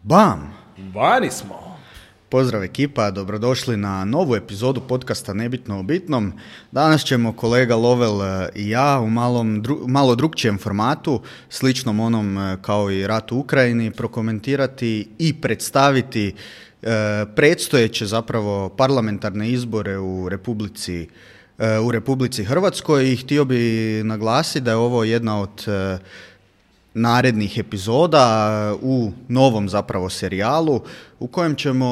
Bam! Vani smo. Pozdrav ekipa, dobrodošli na novu epizodu podcasta Nebitno o bitnom. Danas ćemo kolega Lovel i ja u malo drugčijem formatu, sličnom onom kao i rat u Ukrajini, prokomentirati i predstaviti predstojeće zapravo parlamentarne izbore u Republici Hrvatskoj i htio bi naglasiti da je ovo jedna od narednih epizoda u novom zapravo serijalu u kojem ćemo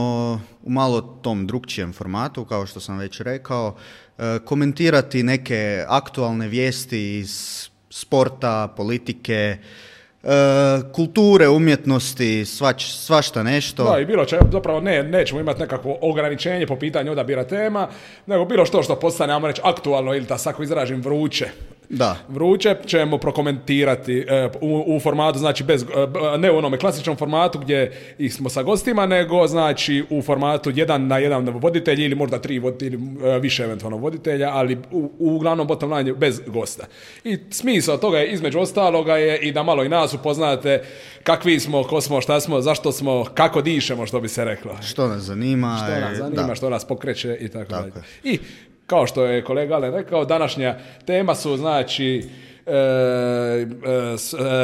u malo tom drugčijem formatu, kao što sam već rekao, komentirati neke aktualne vijesti iz sporta, politike, kulture, umjetnosti, svašta nešto. Da, i bilo će, zapravo nećemo imati nekakvo ograničenje po pitanju odabira tema, nego bilo što postane, ajmo reći, aktualno ili tako izražim vruće. Da. Vruće ćemo prokomentirati u formatu, znači ne u onome klasičnom formatu gdje smo sa gostima, nego znači u formatu 1 na 1 voditelj ili možda 3 voditelji, više eventualno voditelja, ali uglavnom bottom line bez gosta. I smisao toga je između ostaloga je i da malo i nas upoznate kakvi smo, ko smo, šta smo, zašto smo, kako dišemo, što bi se reklo. Što nas zanima. Što nas pokreće i tako dalje. I kao što je kolega Alen rekao, današnja tema su znači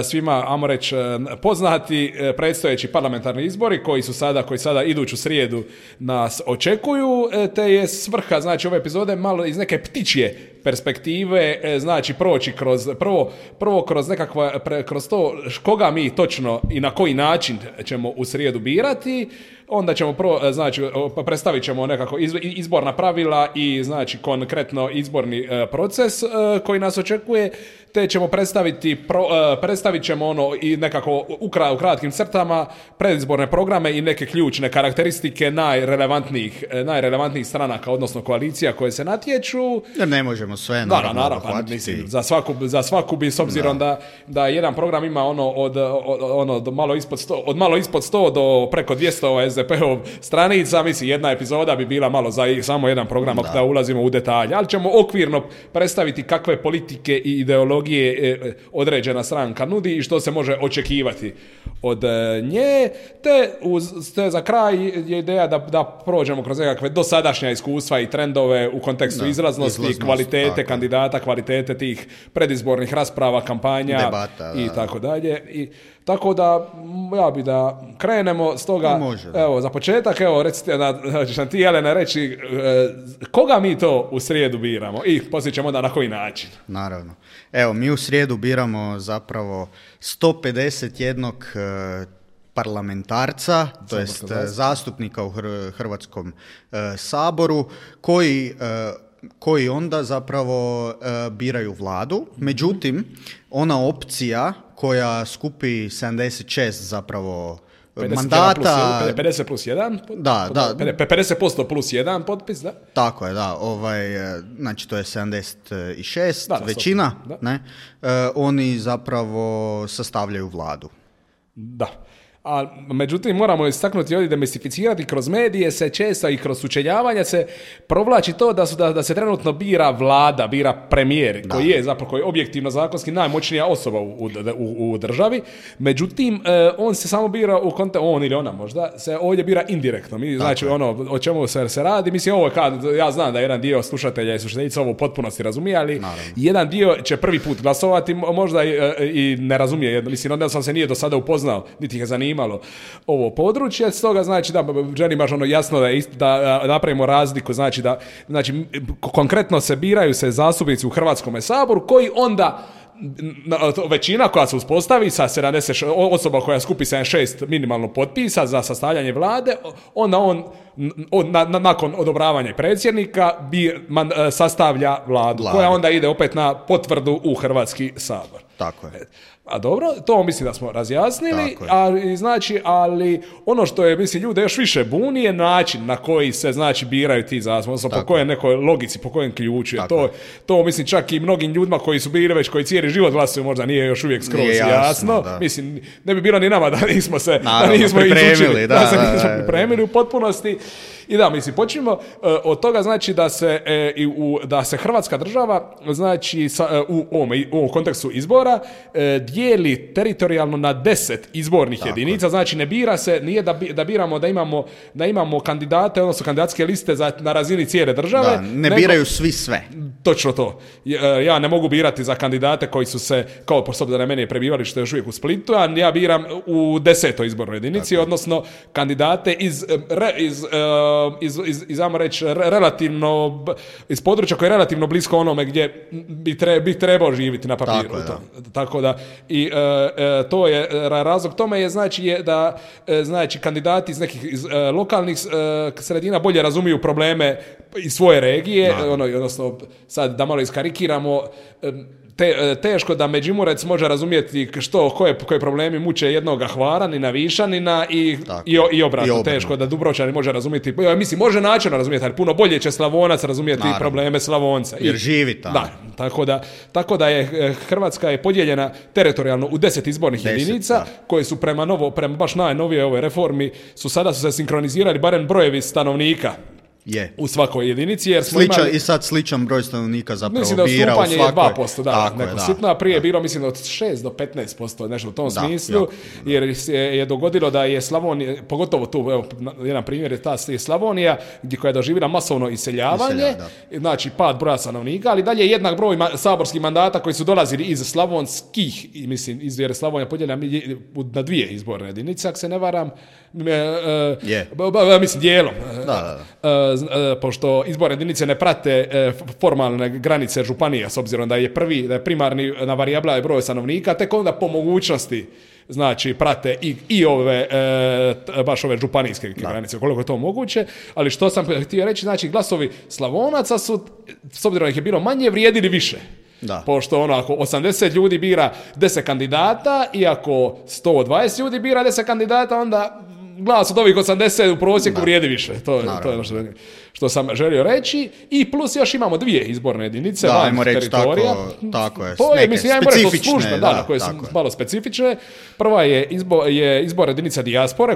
svima, ajmo reći, poznati predstojeći parlamentarni izbori koji sada iduću srijedu nas očekuju, te je svrha znači ove epizode malo iz neke ptičje perspektive, znači proći prvo kroz nekakva, kroz to koga mi točno i na koji način ćemo u srijedu birati. Onda ćemo predstavit ćemo nekako izborna pravila i znači konkretno izborni proces koji nas očekuje, te ćemo predstavit ćemo ono i nekako u kratkim crtama predizborne programe i neke ključne karakteristike najrelevantnijih stranaka, odnosno koalicija koje se natječu. Jer ne možemo sve naravno mislim, za svaku bi, s obzirom da jedan program ima od malo ispod 100 do preko 200 SDP-ov stranica, mislim jedna epizoda bi bila malo za samo jedan program da ulazimo u detalje, ali ćemo okvirno predstaviti kakve politike i ideologije određena stranka nudi i što se može očekivati od nje, te za kraj je ideja da prođemo kroz nekakve dosadašnja iskustva i trendove u kontekstu izlaznosti, kvalitete kandidata, kvalitete tih predizbornih rasprava, kampanja, debata, i tako dalje. Tako da, ja bi da krenemo, stoga, evo, za početak, recite, ćeš nam ti, Jelena, reći koga mi to u srijedu biramo i poslije ćemo onda na koji način. Naravno. Evo, mi u srijedu biramo zapravo 151 parlamentarca, to jest zastupnika u Hrvatskom saboru, koji onda zapravo biraju vladu. Međutim, ona opcija koja skupi 76 zapravo mandata... 50 plus 1? Da. 50% plus 1 potpis, da? Tako je, da. Znači, to je 76, većina. Ne? Oni zapravo sastavljaju vladu. Da. A međutim, moramo istaknuti ovdje, demistificirati, kroz medije se često i kroz sučeljavanja se provlači to da se trenutno bira vlada, bira premijer, koji je objektivno zakonski najmoćnija osoba u državi. Međutim, on se samo bira on ili ona možda, se ovdje bira indirektno. Znači, o čemu se radi, mislim, ovo ja znam da jedan dio slušatelja i slušateljica ovo u potpunosti razumije, ali naravno, jedan dio će prvi put glasovati, možda i ne razumije. Mislim, onda sam se nije do sada upoznao, niti ih zanimalo ovo područje, stoga znači da želim baš jasno da napravimo razliku, znači konkretno se biraju se zastupnici u Hrvatskom saboru koji onda većina koja se uspostavi sa 70 osoba koja skupi 76 minimalno potpisa za sastavljanje vlade, onda on nakon odobravanja predsjednika sastavlja vladu koja onda ide opet na potvrdu u Hrvatski sabor. Tako je. A dobro, to mislim da smo razjasnili, ali ono što je, mislim, ljude još više buni je način na koji se, znači, biraju ti zastupnici, po kojoj nekoj logici, po kojem ključu. To mislim, čak i mnogim ljudima koji su bili već, koji cijeli život glasuju, možda nije još uvijek skroz jasno. Mislim, ne bi bilo ni nama da nismo se pripremili u potpunosti. I da, mislim, počnimo od toga, znači, da se Hrvatska država, znači, u ovom kontekstu izbora, dijeli teritorijalno na 10 izbornih jedinica, znači, ne bira se, nije da biramo da imamo kandidate, odnosno kandidatske liste na razini cijele države. Da, ne biraju svi sve. Točno to. Ja ne mogu birati za kandidate koji su se, kao po da na meni je prebivalište još uvijek u Splitu, a ja biram u 10. izbornoj jedinici, odnosno kandidate ajmo reći, relativno, iz područja koje je relativno blisko onome gdje bi trebao živjeti na papiru. Tako da, i to je, razlog tome je, da kandidati iz lokalnih sredina bolje razumiju probleme iz svoje regije, odnosno, sad da malo iskarikiramo, teško da Međimurec može razumjeti koje problemi muče jednoga Hvaranina, Višanina i obratno. Teško da Dubrovčanin može razumjeti, mislim, može načelno razumjeti, ali puno bolje će Slavonac razumjeti probleme Slavonca. Jer živi tamo. Da, tako da je Hrvatska je podijeljena teritorijalno u 10 izbornih jedinica, koje su prema baš najnovije ovoj reformi, sada su se sinkronizirali barem brojevi stanovnika. U svakoj jedinici, jer smo imali... I sad sličan broj stanovnika zapravo bira u svakoj... Mislim da odstupanje je 2%, sitno, a prije je bilo, mislim, od 6 do 15%, nešto u tom smislu, jer je dogodilo da je Slavonija, pogotovo tu, evo, jedan primjer je Slavonija, koja je doživjela masovno iseljavanje, znači pad broja stanovnika, ali dalje jednak broj saborskih mandata koji su dolazili iz slavonskih, jer je Slavonija podijeljena na 2 izborne jedinice, ako se ne varam, mislim, dijelom. Pošto izborne jedinice ne prate formalne granice županija, s obzirom da je primarni na varijabla je broj stanovnika, tek onda po mogućnosti, znači, prate i ove, baš ove županijske granice, koliko je to moguće, ali što sam htio reći, znači, glasovi Slavonaca su, s obzirom da ih je bilo manje, vrijedili više. Pošto ako 80 ljudi bira 10 kandidata i ako 120 ljudi bira 10 kandidata, onda glas od ovih 80 u prosjeku vrijedi više. To je ono što sam želio reći. I plus još imamo 2 izborne jedinice van teritorija. Tako je. To je, mislim, ja specifične, koje su malo specifične. Prva je izbor jedinica dijaspore,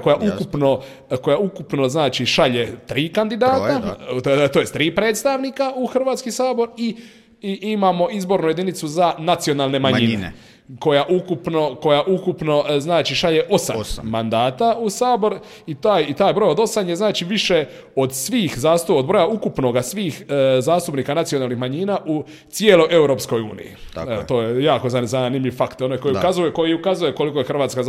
koja ukupno znači šalje 3 kandidata, to je 3 predstavnika u Hrvatski sabor, i imamo izbornu jedinicu za nacionalne manjine. Koja ukupno znači šalje 8 mandata u Sabor, i taj broj od 8 je, znači, više od od broja ukupnoga svih zastupnika nacionalnih manjina u cijeloj Europskoj uniji. To je jako zanimljiv fakt, koji ukazuje koliko je Hrvatska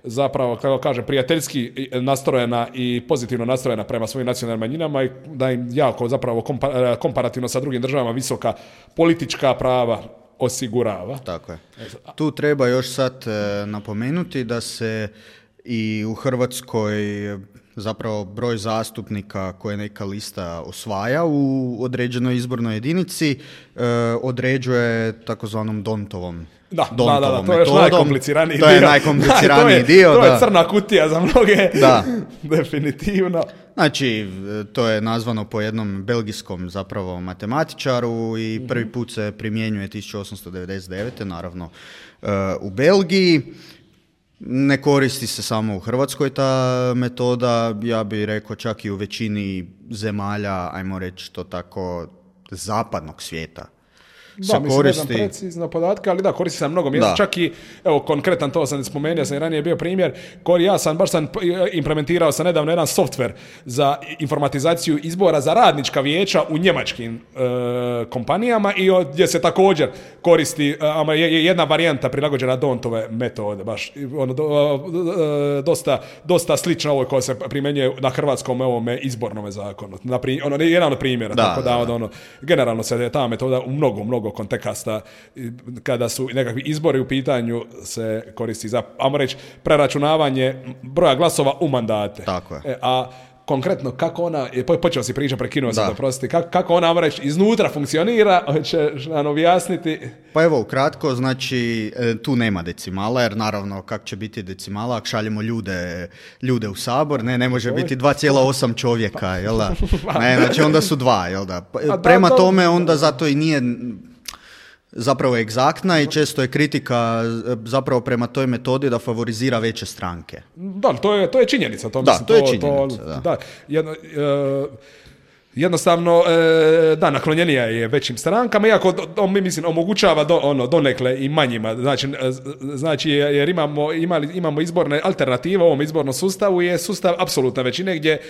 zapravo, kako kaže, prijateljski nastrojena i pozitivno nastrojena prema svojim nacionalnim manjinama, i da im jako zapravo komparativno sa drugim državama visoka politička prava osigurava. Tako je. Tu treba još sad napomenuti da se i u Hrvatskoj zapravo broj zastupnika koje neka lista osvaja u određenoj izbornoj jedinici određuje takozvanom Dontovom to je još najkompliciraniji dio. To je najkompliciraniji dio. To je crna kutija za mnoge. Definitivno. Znači, to je nazvano po jednom belgijskom zapravo matematičaru i prvi put se primjenjuje 1899. naravno u Belgiji. Ne koristi se samo u Hrvatskoj ta metoda, ja bih rekao čak i u većini zemalja, ajmo reći to tako, zapadnog svijeta. Mislim, ne znam precizno podatke, ali koristi se na mnogo mjesta. Čak i, evo, konkretan, to sam spomenuo, sam i ranije bio primjer, baš sam implementirao sam nedavno jedan softver za informatizaciju izbora za radnička vijeća u njemačkim kompanijama, i gdje se također koristi jedna varijanta prilagođena Dontove metode, baš dosta slična ovoj koja se primjenjuje na hrvatskom ovome izbornom zakonu. Jedan od primjera, generalno se ta metoda u mnogo konteksta, kada su nekakvi izbori u pitanju, se koristi za, ajmo reći, preračunavanje broja glasova u mandate. Tako je. A konkretno, kako ona, počeo si priča, prekinuo sam, oprosti, kako ona, ajmo reći, iznutra funkcionira, hoćeš nam objasniti? Pa evo, ukratko, znači, tu nema decimala, jer naravno, kak će biti decimala, ako šaljemo ljude u Sabor, ne može biti 2,8 čovjeka, jel da? Ne, znači, onda su 2, jel da? Prema tome, onda zato i nije... zapravo egzaktna i često je kritika zapravo prema toj metodi da favorizira veće stranke. Da, to je činjenica. To je činjenica. Da. Jednostavno, naklonjenija je većim strankama, iako mislim, omogućava donekle i manjima. Znači jer imamo izborne alternative u ovom izbornom sustavu, je sustav apsolutne većine gdje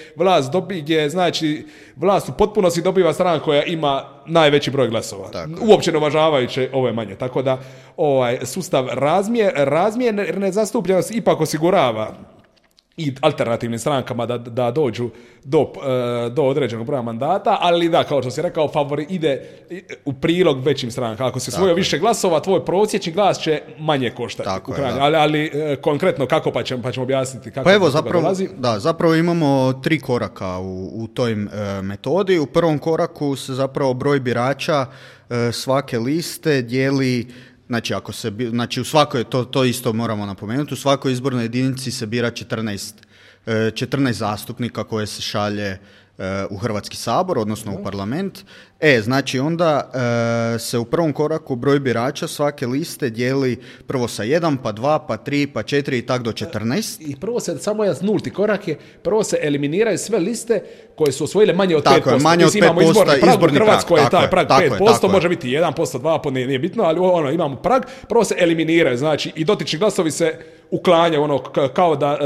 vlast u potpunosti dobiva stranka koja ima najveći broj glasova. Uopće ne uvažavajući ove manje. Tako da sustav razmjerne zastupljenosti ipak osigurava i alternativnim strankama da dođu do određenog broja mandata, ali da, kao što si rekao, favori ide u prilog većim strankama. Ako si osvojio više glasova, tvoj prosječni glas će manje koštati. Ali konkretno kako pa ćemo objasniti kako dolazi? Zapravo imamo 3 koraka u toj metodi. U prvom koraku se zapravo broj birača svake liste dijeli. Znači, u svakoj, to isto moramo napomenuti, u svakoj izbornoj jedinici se bira 14 zastupnika koje se šalje u Hrvatski sabor, odnosno u parlament. Znači onda se u prvom koraku broj birača svake liste dijeli prvo sa 1, pa 2, pa 3, pa 4 i tako do 14. I prvo se, samo jedan nulti korak je, prvo se eliminiraju sve liste koje su osvojile manje od 5%. Manje od 5% izborni prag. Koji je taj prag 5%, može biti 1%, 2%, nije bitno, ali imamo prag. Prvo se eliminiraju, znači i dotični glasovi se uklanjaju, kao da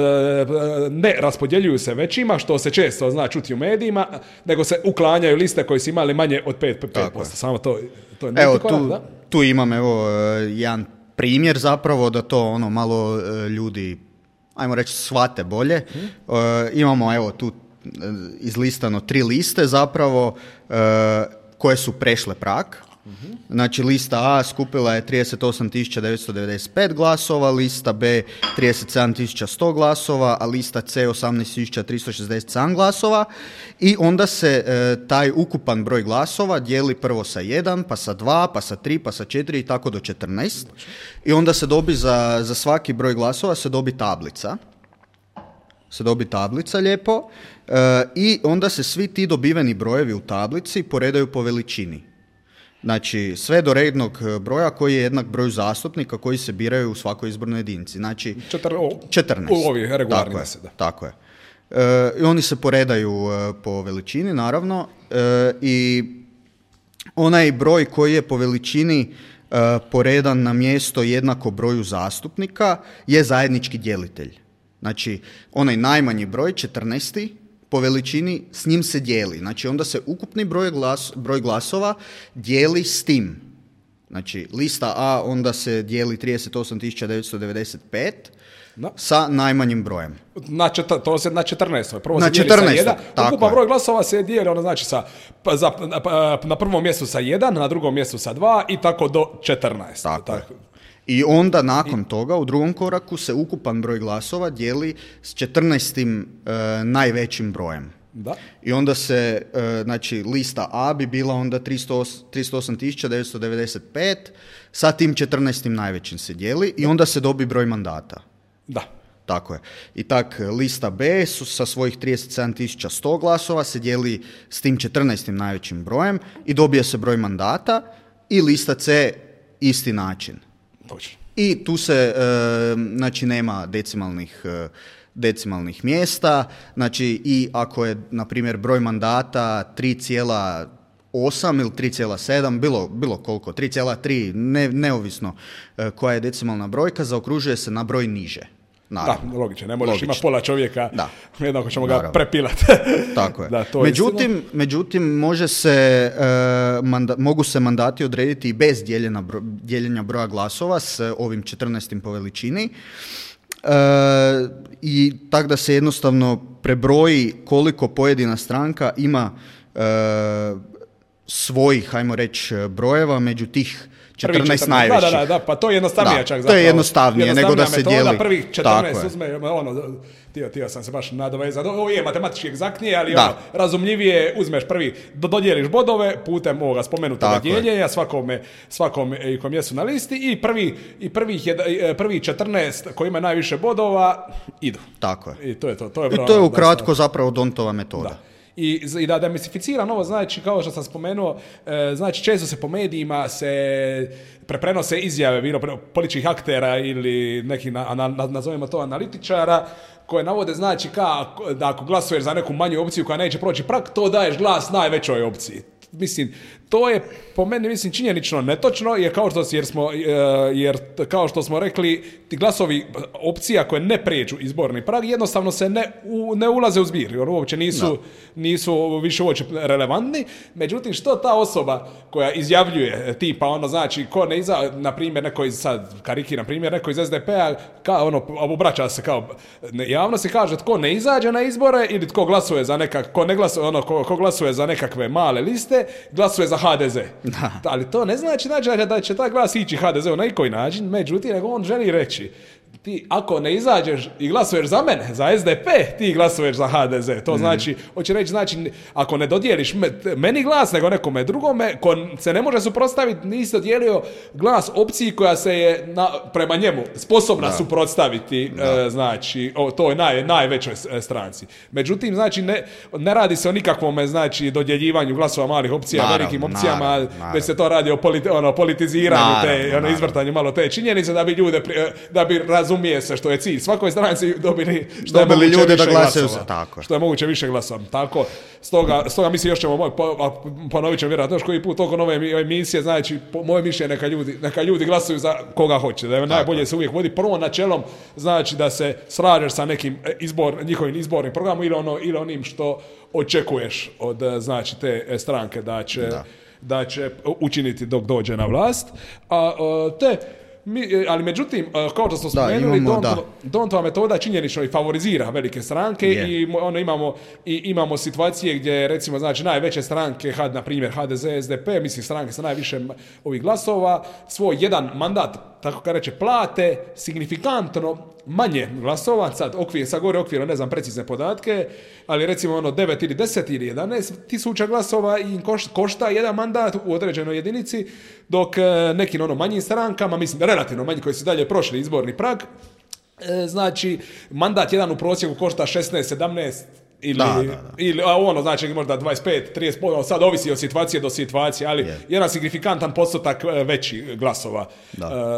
ne raspodjeljuju se većima, što se često zna čuti u medijima, nego se uklanjaju liste koje su imali manje od 5%. Samo to je korak, tu imam jedan primjer zapravo da to malo ljudi, ajmo reći, shvate bolje. Imamo tu izlistano 3 liste zapravo koje su prešle prag. Znači lista A skupila je 38.995 glasova, lista B 37.100 glasova, a lista C 18.367 glasova i onda se taj ukupan broj glasova dijeli prvo sa 1, pa sa 2, pa sa 3, pa sa 4 i tako do 14 i onda se dobi za svaki broj glasova se dobi tablica lijepo i onda se svi ti dobiveni brojevi u tablici poredaju po veličini. Znači, sve do rednog broja koji je jednak broju zastupnika koji se biraju u svakoj izbornoj jedinici. Znači, 14. U ovih regularnih. Tako je. I oni se poredaju po veličini, naravno, i onaj broj koji je po veličini poredan na mjesto jednako broju zastupnika je zajednički djelitelj. Znači, onaj najmanji broj, 14. po veličini, s njim se dijeli. Znači, onda se ukupni broj glasova dijeli s tim. Znači, lista A onda se dijeli 38.995 sa najmanjim brojem. To se na 14. Prvo na se dijeli 14. sa 1. Ukupan broj glasova se dijeli, znači na prvom mjestu sa 1, na drugom mjestu sa 2 i tako do 14. Tako. I onda nakon toga u drugom koraku se ukupan broj glasova dijeli s 14. Najvećim brojem. Da. I onda se, znači, lista A bi bila onda 308.995, sa tim 14. najvećim se dijeli i onda se dobi broj mandata. Da. Tako je. I tak, lista B sa svojih 37.100 glasova se dijeli s tim 14. najvećim brojem i dobije se broj mandata i lista C isti način. Točno. I tu se, znači, nema decimalnih mjesta, znači i ako je, na primjer, broj mandata 3,8 ili 3,7, bilo koliko, 3,3, neovisno koja je decimalna brojka, zaokružuje se na broj niže. Naravno. Da, logično, ne možeš imati pola čovjeka, jednako ćemo ga prepilati. Tako je. Da, međutim, mogu se mandati odrediti i bez dijeljenja broja glasova s ovim 14. po veličini. I tako da se jednostavno prebroji koliko pojedina stranka ima svojih, hajmo reći, brojeva među tih 14 najvećih. Da, pa to je jednostavnije čak. To je jednostavnije nego da se dijeli. Prvih 14 uzme, htio sam se baš nadovezati. Ovo je matematički egzaktnije, ali razumljivije, uzmeš prvi, dodijeliš bodove putem ovoga spomenutog dijeljenja, svakome kom jesu na listi i prvih 14 koji imaju najviše bodova idu. Tako je. I to je to. I to je ukratko zapravo D'Hondtova metoda. Da. I da demistificiram ovo, znači, kao što sam spomenuo, znači, često se po medijima prenose izjave bilo političkih aktera ili nekih, nazovimo to, analitičara, koje navode, znači, da ako glasuješ za neku manju opciju koja neće proći prag, to daješ glas najvećoj opciji. Mislim, to je po meni, činjenično netočno, jer kao što smo rekli, ti glasovi opcija koje ne prijeđu izborni prag jednostavno se ne ulaze u zbir, jer uopće nisu više uopće relevantni. Međutim, što ta osoba koja izjavljuje, tipa, znači, ko ne na primjer, neko iz, sad karikiram primjer, neko iz SDP-a, obraća se kao javnost i kaže tko ne izađe na izbore ili tko glasuje za ko glasuje za nekakve male liste, glasuje za HDZ. Da. Ali to ne znači da će taj glas ići HDZ-u na koji način, međutim, nego on želi reći, ti ako ne izađeš i glasuješ za mene, za SDP, ti glasuješ za HDZ. To znači, hoće reći, znači, ako ne dodijeliš meni glas, nego nekome drugome, ko se ne može suprotstaviti, nisi dodijelio glas opciji koja se je prema njemu sposobna suprotstaviti, znači, toj najvećoj stranci. Međutim, znači, ne radi se o nikakvom, znači, dodjeljivanju glasova malih opcija, velikim opcijama, već se to radi o politiziranju, izvrtanju malo te činjenice, da bi ljude, da bi razumije se što je cilj svakoj stranci dobili ljude da glasaju za tako. Što je moguće više glasova. Tako, stoga mislim, još ćemo ponovit ćemo vjerojatno još koji put oko nove emisije, znači moje mišljenje neka ljudi glasuju za koga hoće, da je najbolje se uvijek vodi prvo načelom, znači da se slažeš sa nekim njihovim izbornim programom ili onim što očekuješ od, znači, te stranke da će učiniti dok dođe na vlast. Ali međutim, kao što smo spomenuli, Dontova metoda činjenično i favorizira velike stranke i imamo situacije gdje, recimo, znači, najveće stranke, na primjer HDZ, SDP, mislim stranke sa najviše ovih glasova, svoj jedan mandat, tako kad reče, plate signifikantno manje glasova, sad gore okvirno, ne znam precizne podatke, ali recimo 9 ili 10 ili 11 tisuća glasova im košta jedan mandat u određenoj jedinici, dok nekim manjim strankama, mislim relativno manji koji su dalje prošli izborni prag, znači mandat jedan u prosjeku košta 16, 17 ili znači možda 25, 30%, sad ovisi od situacije do situacije, ali jedan signifikantan postotak veći glasova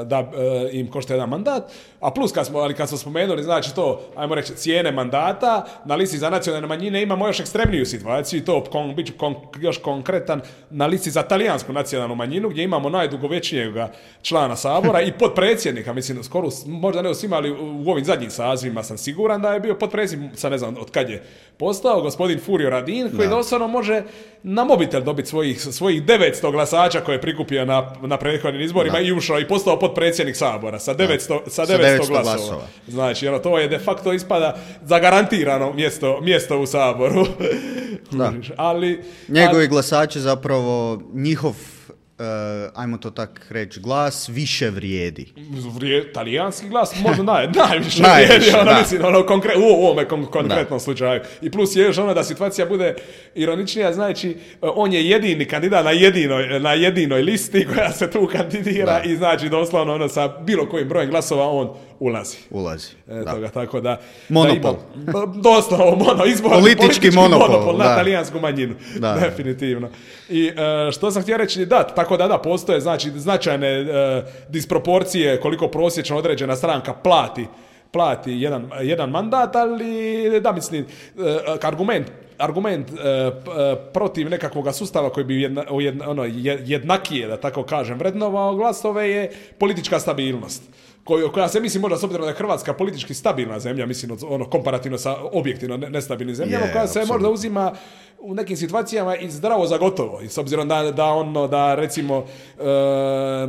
da im košta jedan mandat. A plus kad smo spomenuli, znači to, ajmo reći, cijene mandata, na listi za nacionalne manjine imamo još ekstremniju situaciju i to bit ću još konkretan, na listi za talijansku nacionalnu manjinu, gdje imamo najdugovječnijeg člana Sabora i potpredsjednika, mislim, skoro, možda ne svima, ali u ovim zadnjim sazivima sam siguran da je bio potpredsjednik, sad ne znam od kad je postao, gospodin Furio Radin, koji doslovno može na mobitel dobiti svojih 900 glasača koje je prikupio na prethodnim izborima i ušao i postao potpredsjednik Sabora sa 900 glasova. Znači, to je de facto ispada zagarantirano mjesto u Saboru. Ali njegovi glasači zapravo, njihov ajmo to tak reći, glas više vrijedi. Talijanski glas možda najviše vrijedi, mislim, u ovome konkretnom slučaju. I plus je još da situacija bude ironičnija, znači on je jedini kandidat na jedinoj listi koja se tu kandidira i znači doslovno sa bilo kojim brojem glasova on ulazi. Tako da monopol. Doslovno politički monopol na talijansku manjinu. Definitivno. I što sam htio reći, tako da postoje, znači, značajne disproporcije koliko prosječno određena stranka plati jedan mandat, ali mislim, argument protiv nekakvog sustava koji bi jednakije, da tako kažem, vrednovao glasove je politička stabilnost. Koja se, mislim, možda s obzirom da je Hrvatska politički stabilna zemlja, mislim, komparativno sa objektivno nestabilnim zemljama, koja se možda uzima u nekim situacijama i zdravo za gotovo. I s obzirom da recimo,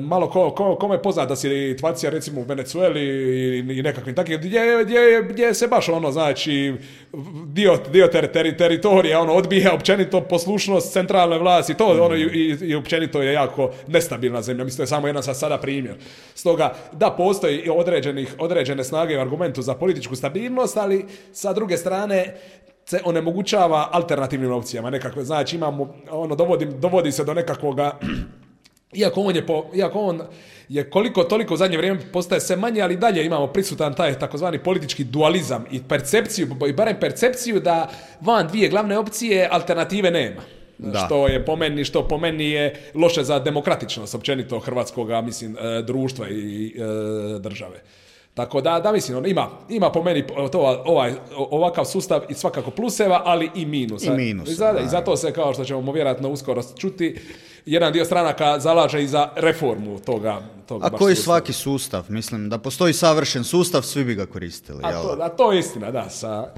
malo kome je poznata situacija, recimo u Venezueli i nekakvim takvim, gdje se baš znači, dio teritorija odbija općenito poslušnost centralne vlasti, to i općenito je jako nestabilna zemlja. Mislim, to je samo jedan sada primjer. Stoga, postoji određene snage u argumentu za političku stabilnost, ali sa druge strane se onemogućava alternativnim opcijama nekakve. Znači, imamo, dovodi se do nekakvoga iako on je koliko toliko u zadnje vrijeme postaje sve manje, ali dalje imamo prisutan taj takozvani politički dualizam i percepciju, i barem percepciju da van dvije glavne opcije alternative nema. Što po meni je loše za demokratičnost općenito hrvatskog, mislim, društva i države. Tako da mislim, ima po meni ovakav sustav i svakako pluseva, ali i minusa. I zato se, kao što ćemo vjerojatno uskoro čuti, jedan dio stranaka zalaže i za reformu toga a koji sustava. Svaki sustav, mislim, da postoji savršen sustav, svi bi ga koristili. A to je istina, da, sa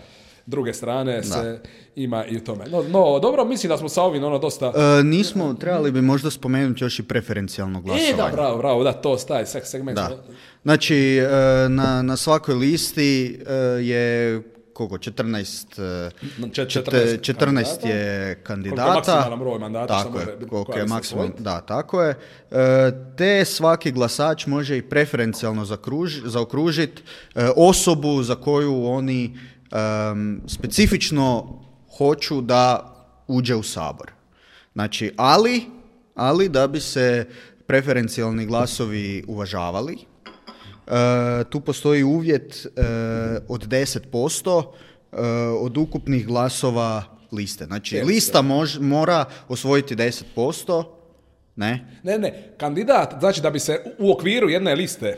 druge strane se ima i u tome. No, dobro, mislim da smo sa ovim dosta... nismo, trebali bi možda spomenuti još i preferencijalno glasovanje. Da, bravo, da, to staje segment. Da. Znači, na svakoj listi je koliko, 14 je kandidata. Koliko je maksimalan broj mandata. Tako je, da, tako je. Te svaki glasač može i preferencijalno zaokružiti osobu za koju oni specifično hoću da uđe u Sabor. Znači, ali da bi se preferencijalni glasovi uvažavali, tu postoji uvjet od 10% od ukupnih glasova liste. Znači, lista mora osvojiti 10%. Ne, kandidat, znači da bi se u okviru jedne liste,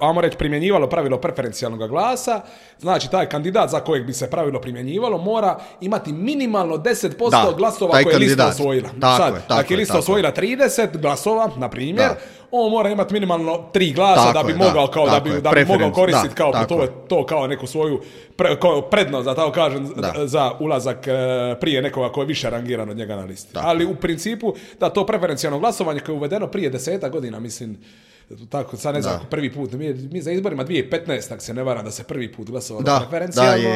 ajmo reći, primjenjivalo pravilo preferencijalnog glasa, znači taj kandidat za kojeg bi se pravilo primjenjivalo mora imati minimalno 10% glasova koje je lista osvojila. Ako je lista osvojila 30 glasova, na primjer, on mora imati minimalno 3 glasa da bi mogao mogao koristiti to kao neku svoju prednost, da tako kažem, za ulazak prije nekoga koji je više rangiran od njega na listi. Ali u principu da to preferencijalno glasovanje koje je uvedeno prije 10 godina, mislim, tako, sad ne znam, prvi put, mi za izborima 2015, ako se ne varam, da se prvi put glasovalo preferencijalno.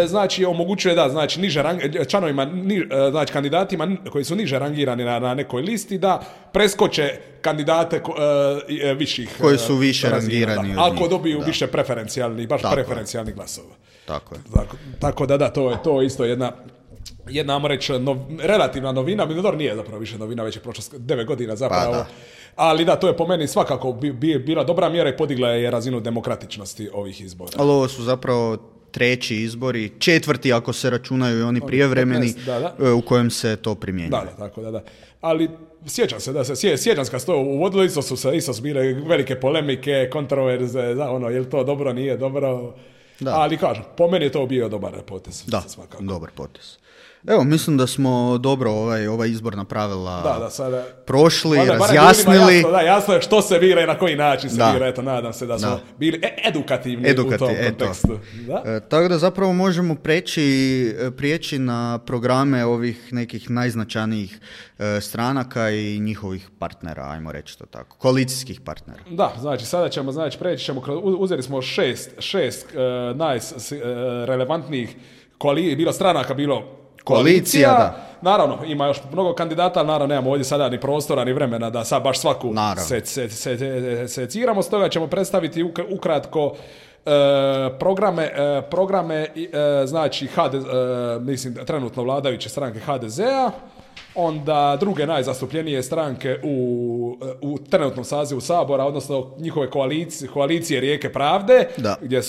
Znači, omogućuje znači članovima, znači kandidatima koji su niže rangirani na nekoj listi, da preskoče kandidate viših koji su više rangirani od njih. Ako dobiju više preferencijalnih, baš preferencijalnih glasova. Tako da, to je isto jedna, ajmo reći, relativna novina, Minodor nije zapravo više novina, već je prošlo 9 godina zapravo, ali da, to je po meni svakako bila dobra mjera i podigla je razinu demokratičnosti ovih izbora. Ali ovo su zapravo 3. izbori, 4. ako se računaju i oni prijevremeni, u kojem se to primjenjuje. Da. Ali sjećam se kad se to uvodilo, isto su bile velike polemike, kontroverze, je li to dobro, nije dobro. Ali kažem, po meni je to bio dobar potez. Da, dobar potez. Evo, mislim da smo dobro ova izborna pravila prošli, razjasnili. Jasno je što se bira i na koji način se bira. Eto, nadam se da smo bili edukativni u tom kontekstu. Tako da zapravo možemo prijeći na programe ovih nekih najznačajnijih stranaka i njihovih partnera, ajmo reći to tako, koalicijskih partnera. Da, znači sada ćemo, preći ćemo, uzeli smo šest najrelevantnijih bilo stranaka, bilo koalicija, da. Naravno, ima još mnogo kandidata, ali naravno nemamo ovdje sada ni prostora, ni vremena da sad baš svaku seciramo, stoga ćemo predstaviti ukratko programe znači mislim, trenutno vladajuće stranke HDZ-a, onda druge najzastupljenije stranke u trenutnom sazivu Sabora, odnosno njihove koalicije Rijeke pravde, gdje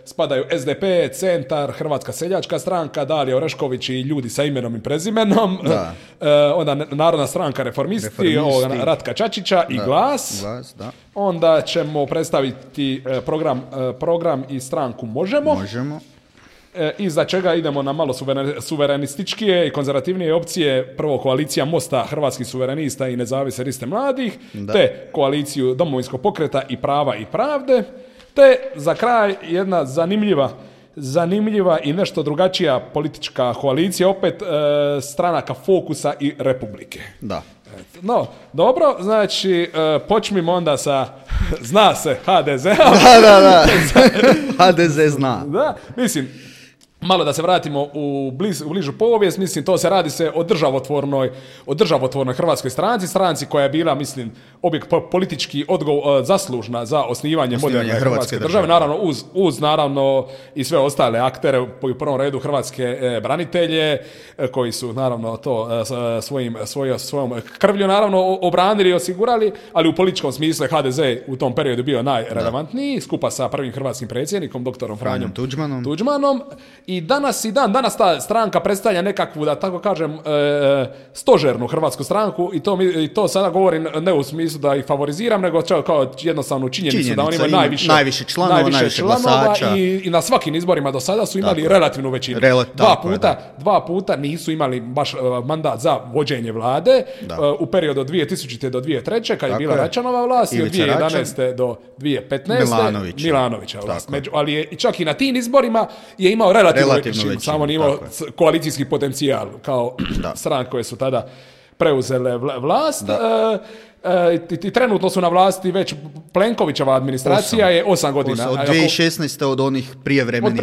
spadaju SDP, Centar, Hrvatska seljačka stranka, Dalija Orešković i ljudi sa imenom i prezimenom, onda Narodna stranka Reformisti. Ratka Čačića i Glas. Onda ćemo predstaviti program i stranku Možemo. Iza čega idemo na malo suverenističkije i konzervativnije opcije, prvo koalicija Mosta, Hrvatskih suverenista i Nezavisne liste mladih, te koaliciju Domovinskog pokreta i Prava i pravde, te za kraj jedna zanimljiva i nešto drugačija politička koalicija, opet stranaka Fokusa i Republike. Da. No, dobro, znači počnimo onda sa zna se HDZ. Da. HDZ zna. Da, mislim, Malo da se vratimo u bližu povijest, mislim, to se radi se o državotvornoj hrvatskoj stranci koja je bila, mislim, politički zaslužna za osnivanje moderne hrvatske države, naravno uz naravno i sve ostale aktere, u prvom redu hrvatske branitelje, koji su naravno to svojom krvlju naravno obranili i osigurali, ali u političkom smislu je HDZ u tom periodu bio najrelevantniji, skupa sa prvim hrvatskim predsjednikom, doktorom Franjom Tuđmanom. I danas ta stranka predstavlja nekakvu, da tako kažem, stožernu hrvatsku stranku i to sada govorim ne u smislu da ih favoriziram, nego kao jednostavnu činjenicu da oni imaju najviše članova glasača. I na svakim izborima do sada su imali relativnu većinu. Dva puta nisu imali baš mandat za vođenje vlade u periodu od 2000. do 2003. kad je bila Račanova vlast i od 2011. do 2015. Milanovića vlast. Ali je čak i na tim izborima je imao relativnu većinu, samo nije imao koalicijski potencijal kao stranke koje su tada preuzele vlast. I trenutno su na vlasti već Plenkovićeva administracija je 8 godina. Od 2016. od onih prijevremenih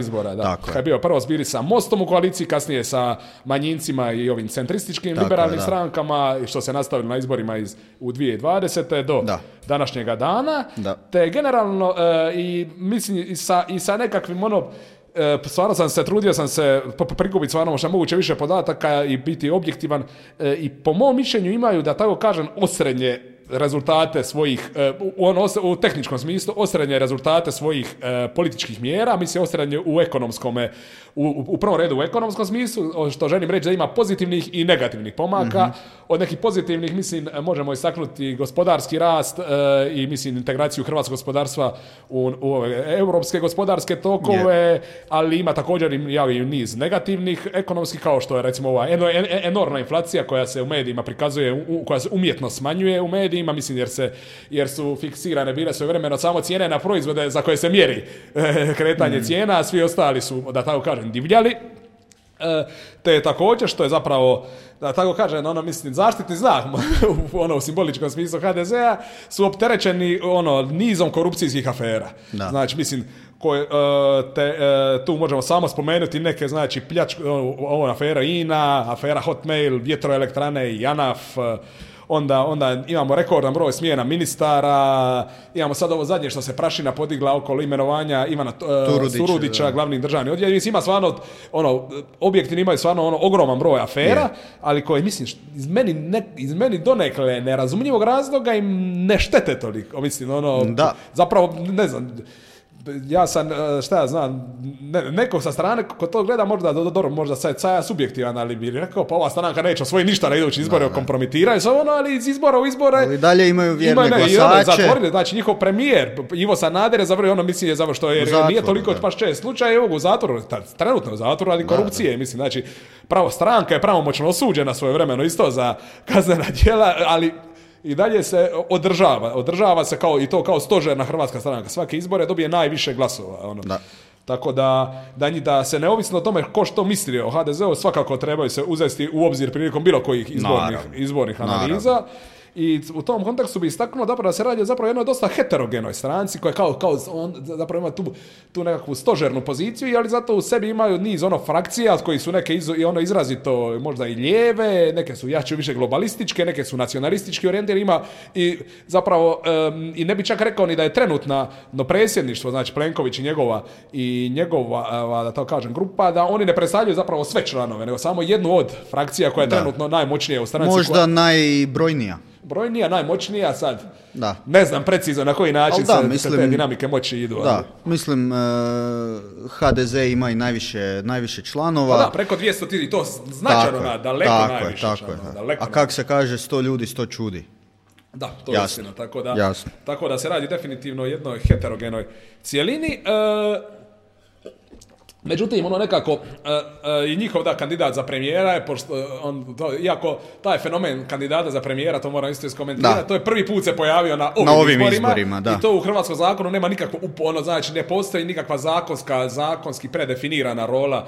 izbora. Da. Kad je bio prvo bili sa Mostom u koaliciji, kasnije sa manjincima i ovim centrističkim liberalnim strankama, što se nastavilo na izborima u 2020. do današnjega dana. Te generalno i mislim i sa nekakvim stvarno trudio sam se prikupiti stvarno što moguće više podataka i biti objektivan i po mom mišljenju imaju, da tako kažem, osrednje rezultate svojih, u tehničkom smislu, osrednje rezultate svojih političkih mjera, mislim osrednje u ekonomskome, u prvom redu u ekonomskom smislu, što želim reći da ima pozitivnih i negativnih pomaka. Od nekih pozitivnih, mislim, možemo istaknuti gospodarski rast i, mislim, integraciju hrvatskog gospodarstva u europske gospodarske tokove, ali ima također i niz negativnih ekonomskih, kao što je recimo ova enormna inflacija koja se u medijima prikazuje, koja se umjetno smanjuje u medijima, mislim, jer su fiksirane bile svojevremeno samo cijene na proizvode za koje se mjeri kretanje cijena, a svi ostali su, da tako kažem, divljali. Te također, što je zapravo, da tako kažem, mislim, zaštitni znak u simboličkom smislu HDZ-a, su opterećeni nizom korupcijskih afera. Znači, mislim, tu možemo samo spomenuti neke, znači, afera INA, afera Hotmail, vjetroelektrane, JANAF, onda imamo rekordan broj smjena ministara, imamo sad ovo zadnje što se prašina podigla okolo imenovanja Ivana Turudića, glavni državni odvjetnik. Ima stvarno, objektivni imaju stvarno ogroman broj afera, ali koje, mislim, iz meni donekle nerazumljivog razloga im ne štete toliko. Mislim, zapravo, ne znam, ja sam, šta ja znam, neko sa strane ko to gleda možda sad ja subjektivan, ali bi rekao, pa ova stranka neće osvojiti ništa na idući izbore, kompromitiraju se ali iz izbora u izbore... Ali dalje imaju vjerne glasače. Znači, njihov premijer, Ivo Sanader je zavrlo, mislim je zavrlo što nije toliko baš čest slučaj, u zatvoru, trenutno u zatvoru radi korupcije, mislim, znači, stranka je pravomoćno osuđena svojevremeno isto za kaznena djela, ali i dalje se održava se kao stožerna hrvatska stranka. Svake izbore dobije najviše glasova. Tako da se neovisno o tome ko što misli o HDZ-u, svakako trebaju se uzeti u obzir prilikom bilo kojih izbornih analiza. I u tom kontekstu bi istaknuo da se radi zapravo jednoj dosta heterogenoj stranci koja zapravo ima tu nekakvu stožernu poziciju, ali zato u sebi imaju niz frakcija koji su neke izrazito možda i lijeve, neke su jače više globalističke, neke su nacionalistički orijentirane, ima i zapravo i ne bi čak rekao ni da je trenutno predsjedništvo, znači Plenković i njegova da tako kažem grupa, da oni ne predstavljaju zapravo sve članove, nego samo jednu od frakcija koja je trenutno najmoćnija u stranci. Možda najbrojnija. Brojnija, najmoćnija sad. Ne znam precizno na koji način se te dinamike moći idu. Mislim, HDZ ima i najviše članova. Preko 200 to značajno, daleko najviše članova. A kako se kaže, 100 ljudi, 100 čudi. Da, to je istina. Tako da se radi definitivno o jednoj heterogenoj cijelini. Međutim, nekako i njihov kandidat za premijera je, iako taj fenomen kandidata za premijera, to moram isto iskomentirati, to je prvi put se pojavio na ovim izborima i to u hrvatskom zakonu nema nikakvo znači ne postoji nikakva zakonski predefinirana rola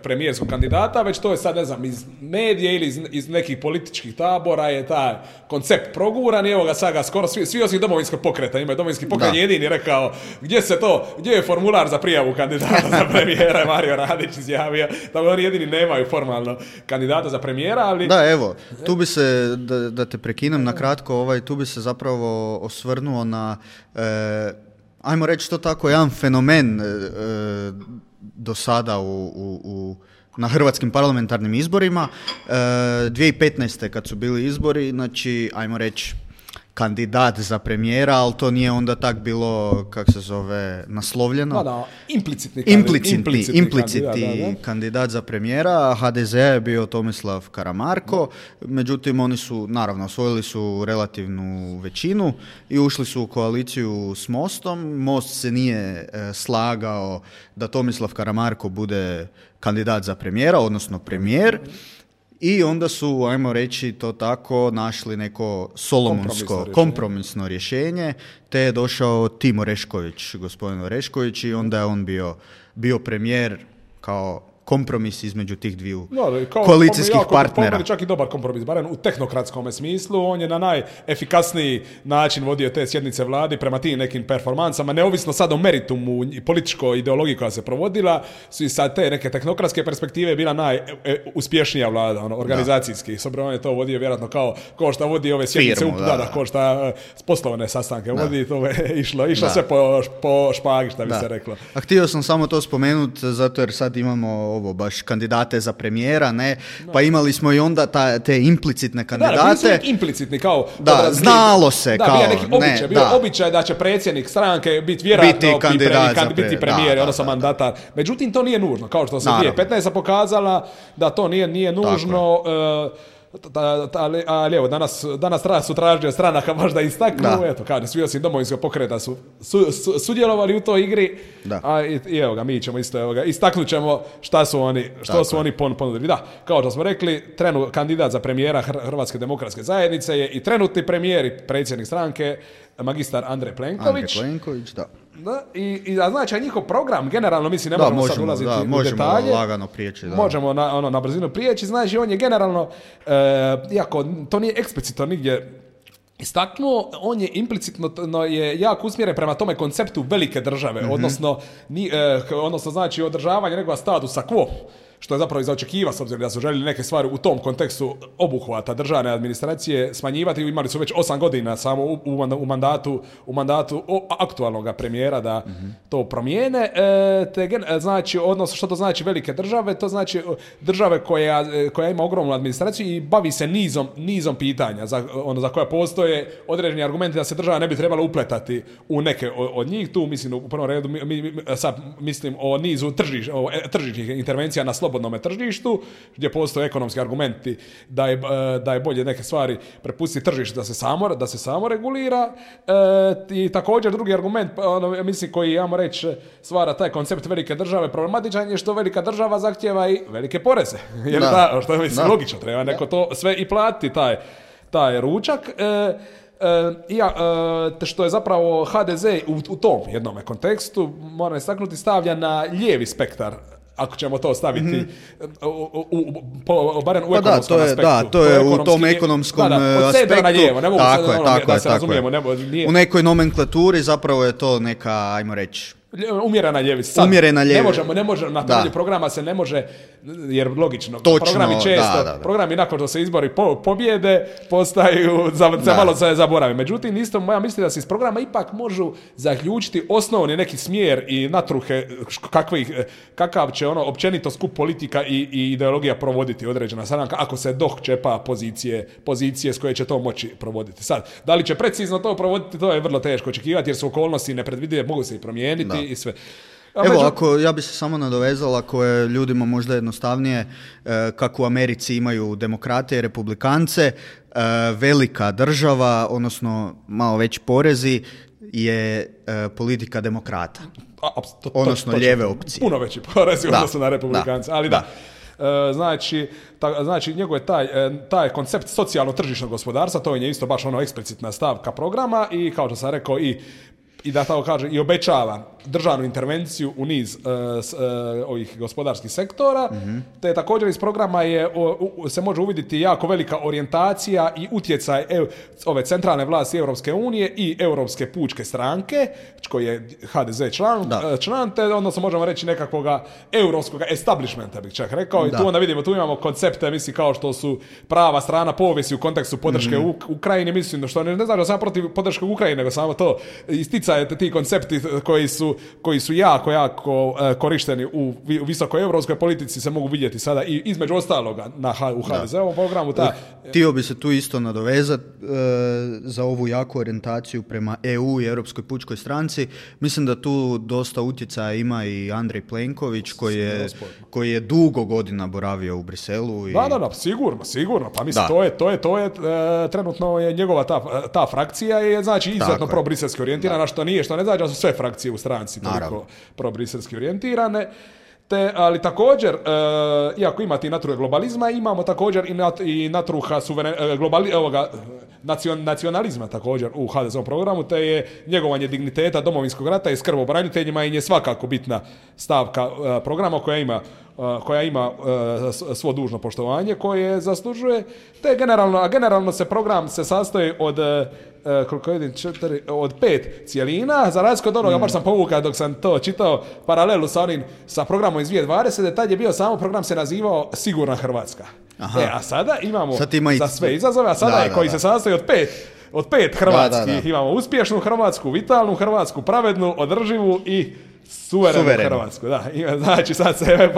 premijerskog kandidata, već to je sad, ne znam, iz medije ili iz nekih političkih tabora je taj koncept proguran i evo ga sad ga skoro svi osim Domovinskog pokreta, ima Domovinski pokret jedini rekao gdje je formular za prijavu kandidata za premijera, Mario Radić izjavio, tako oni jedini nemaju formalno kandidata za premijera, ali... Da, evo, tu bi se, da te prekinem na kratko, tu bi se zapravo osvrnuo na, ajmo reći to tako, jedan fenomen do sada na hrvatskim parlamentarnim izborima. 2015. kad su bili izbori, znači, ajmo reći, kandidat za premijera, ali to nije onda tak bilo, kako se zove, naslovljeno. Implicitni kandidat za premijera. HDZ je bio Tomislav Karamarko, međutim oni su, naravno, osvojili su relativnu većinu i ušli su u koaliciju s Mostom. Most se nije slagao da Tomislav Karamarko bude kandidat za premijera, odnosno premijer. I onda su, ajmo reći to tako, našli neko kompromisno rješenje, te je došao Tim Orešković, gospodin Orešković, i onda je on bio premijer kao kompromis između tih dviju koalicijskih partnera. Čak i dobar kompromis, barem u tehnokratskom smislu. On je na najefikasniji način vodio te sjednice vladi prema tim nekim performansama, neovisno sad o meritumu i političkoj ideologiji koja se provodila, su i sad te neke tehnokratske perspektive bila najuspješnija vlada, organizacijski. S obzirom on je to vodio vjerojatno kao što vodi ove sjednice, kao što poslovne sastanke vodi, to je išlo sve po špagi, šta bi se reklo. A htio sam samo to spomenuti, zato jer sad imamo baš kandidate za premijera, ne? Pa imali smo i onda te implicitne kandidate. Da, implicitni, kao... znalo se, kao... Bio običaj da će predsjednik stranke biti biti premijer, odnosno mandatar. Međutim, to nije nužno, kao što se 2015. pokazala, da to nije nužno... Ali evo, danas su tražili stranaka baš da istaknu, eto, kaže, svi osim Domovinskog pokreta su sudjelovali u toj igri, i evo ga, mi ćemo isto, istaknut ćemo što su oni ponudili. Da, kao što smo rekli, kandidat za premijera Hrvatske demokratske zajednice je i trenutni premijer i predsjednik stranke, magistar Andrej Plenković. Da, i znači njihov program, generalno, mislim, ne možemo sad ulaziti u detalje. Možemo lagano prijeći. Da. Možemo na brzinu prijeći, znači on je generalno, iako to nije eksplicitno nigdje istaknuo, on je implicitno je jako usmjeren prema tome konceptu velike države, odnosno znači održavanje nekog statusa quo, što je zapravo i za očekiva, s obzirom da su željeli neke stvari u tom kontekstu obuhvata državne administracije smanjivati. Imali su već 8 godina samo u mandatu aktualnog premijera da to promijene. Znači, odnosno što to znači velike države? To znači države koja ima ogromnu administraciju i bavi se nizom pitanja za koja postoje određeni argumenti da se država ne bi trebala upletati u neke od njih. Tu mislim u prvom redu sad mislim o nizu tržišnih intervencija na slobodnom tržištu, gdje postoje ekonomski argumenti da je bolje neke stvari prepustiti tržištu da se samo regulira. I također drugi argument, mislim, koji, ja reći, stvara taj koncept velike države problematičan je što velika država zahtjeva i velike poreze. Jer što je, mislim, logično, treba neko to sve i platiti, taj ručak. Što je zapravo HDZ u tom jednom kontekstu, moram istaknuti, stavlja na lijevi spektar, ako ćemo to staviti barem u ekonomskom aspektu. Da, to je u tom ekonomskom aspektu. Od sedra na lijevo, ne mogu da se razumijemo. U nekoj nomenklaturi zapravo je to neka, ajmo reći, umjerena ljevica. Ne može na temelju programa se ne može, jer logično, programi često, programi nakon što se izbori pobjede postaju, malo se zaboravi. Međutim, isto ja mislim da se iz programa ipak možu zaključiti osnovni neki smjer i natruhe kakav će općenito skup politika i ideologija provoditi određena stranka, ako se čepa pozicije s koje će to moći provoditi. Sad, da li će precizno to provoditi, to je vrlo teško očekivati, jer su okolnosti nepredvidive, mogu se i promijeniti. I sve. Evo, ja bi se samo nadovezala, ako je ljudima možda jednostavnije, kako u Americi imaju demokrate i republikance, velika država, odnosno malo veći porezi, je politika demokrata. Odnosno lijeve opcije. Puno veći porezi odnosno na republikance, ali da. Znači njegov je taj koncept socijalno-tržišnog gospodarstva, to je isto baš eksplicitna stavka programa i, kao što sam rekao, i da tako kaže, i obećava državnu intervenciju u niz ovih gospodarskih sektora, te također iz programa se može uvidjeti jako velika orijentacija i utjecaj ove centralne vlasti Europske unije i Europske pučke stranke, koji je HDZ član, te odnosno možemo reći nekakvoga europskog establishmenta, bih čak rekao, i tu onda vidimo, tu imamo koncepte, mislim, kao što su prava strana povijesti u kontekstu podrške Ukrajini, mislim, što ne znači da sam protiv podrške Ukrajine, nego samo to isticaje ti koncepti koji su jako korišteni u visokoj europskoj politici, se mogu vidjeti sada i između ostaloga u HDZ-ovom programu. Htio bi se tu isto nadovezati za ovu jaku orijentaciju prema EU i Europskoj pučkoj stranci. Mislim da tu dosta utjecaja ima i Andrej Plenković, koji je dugo godina boravio u Briselu. Da, sigurno. Pa mislim, to je trenutno je njegova ta frakcija je, znači, izuzetno pro-briselski orijentirana, što ne znači da su sve frakcije u stranci toliko pro-briselski orijentirane. Ali također, iako ima ti natruhe globalizma, imamo također i natruha nacionalizma također u HDZ-ovom programu, te je njegovanje digniteta Domovinskog rata i skrb o braniteljima je svakako bitna stavka programa koja ima svo dužno poštovanje koje zaslužuje, te generalno se program se sastoji od 5 cijelina, za razliku od onoga, baš sam povukao dok sam to čitao, paralelu sa programom iz 2020, tad je bio samo program se nazivao Sigurna Hrvatska. A sada imamo za sve izazove, a sada koji se sastoji od 5 hrvatskih. Imamo uspješnu Hrvatsku, vitalnu Hrvatsku, pravednu, održivu i suverenu Hrvatsku. Znači sad se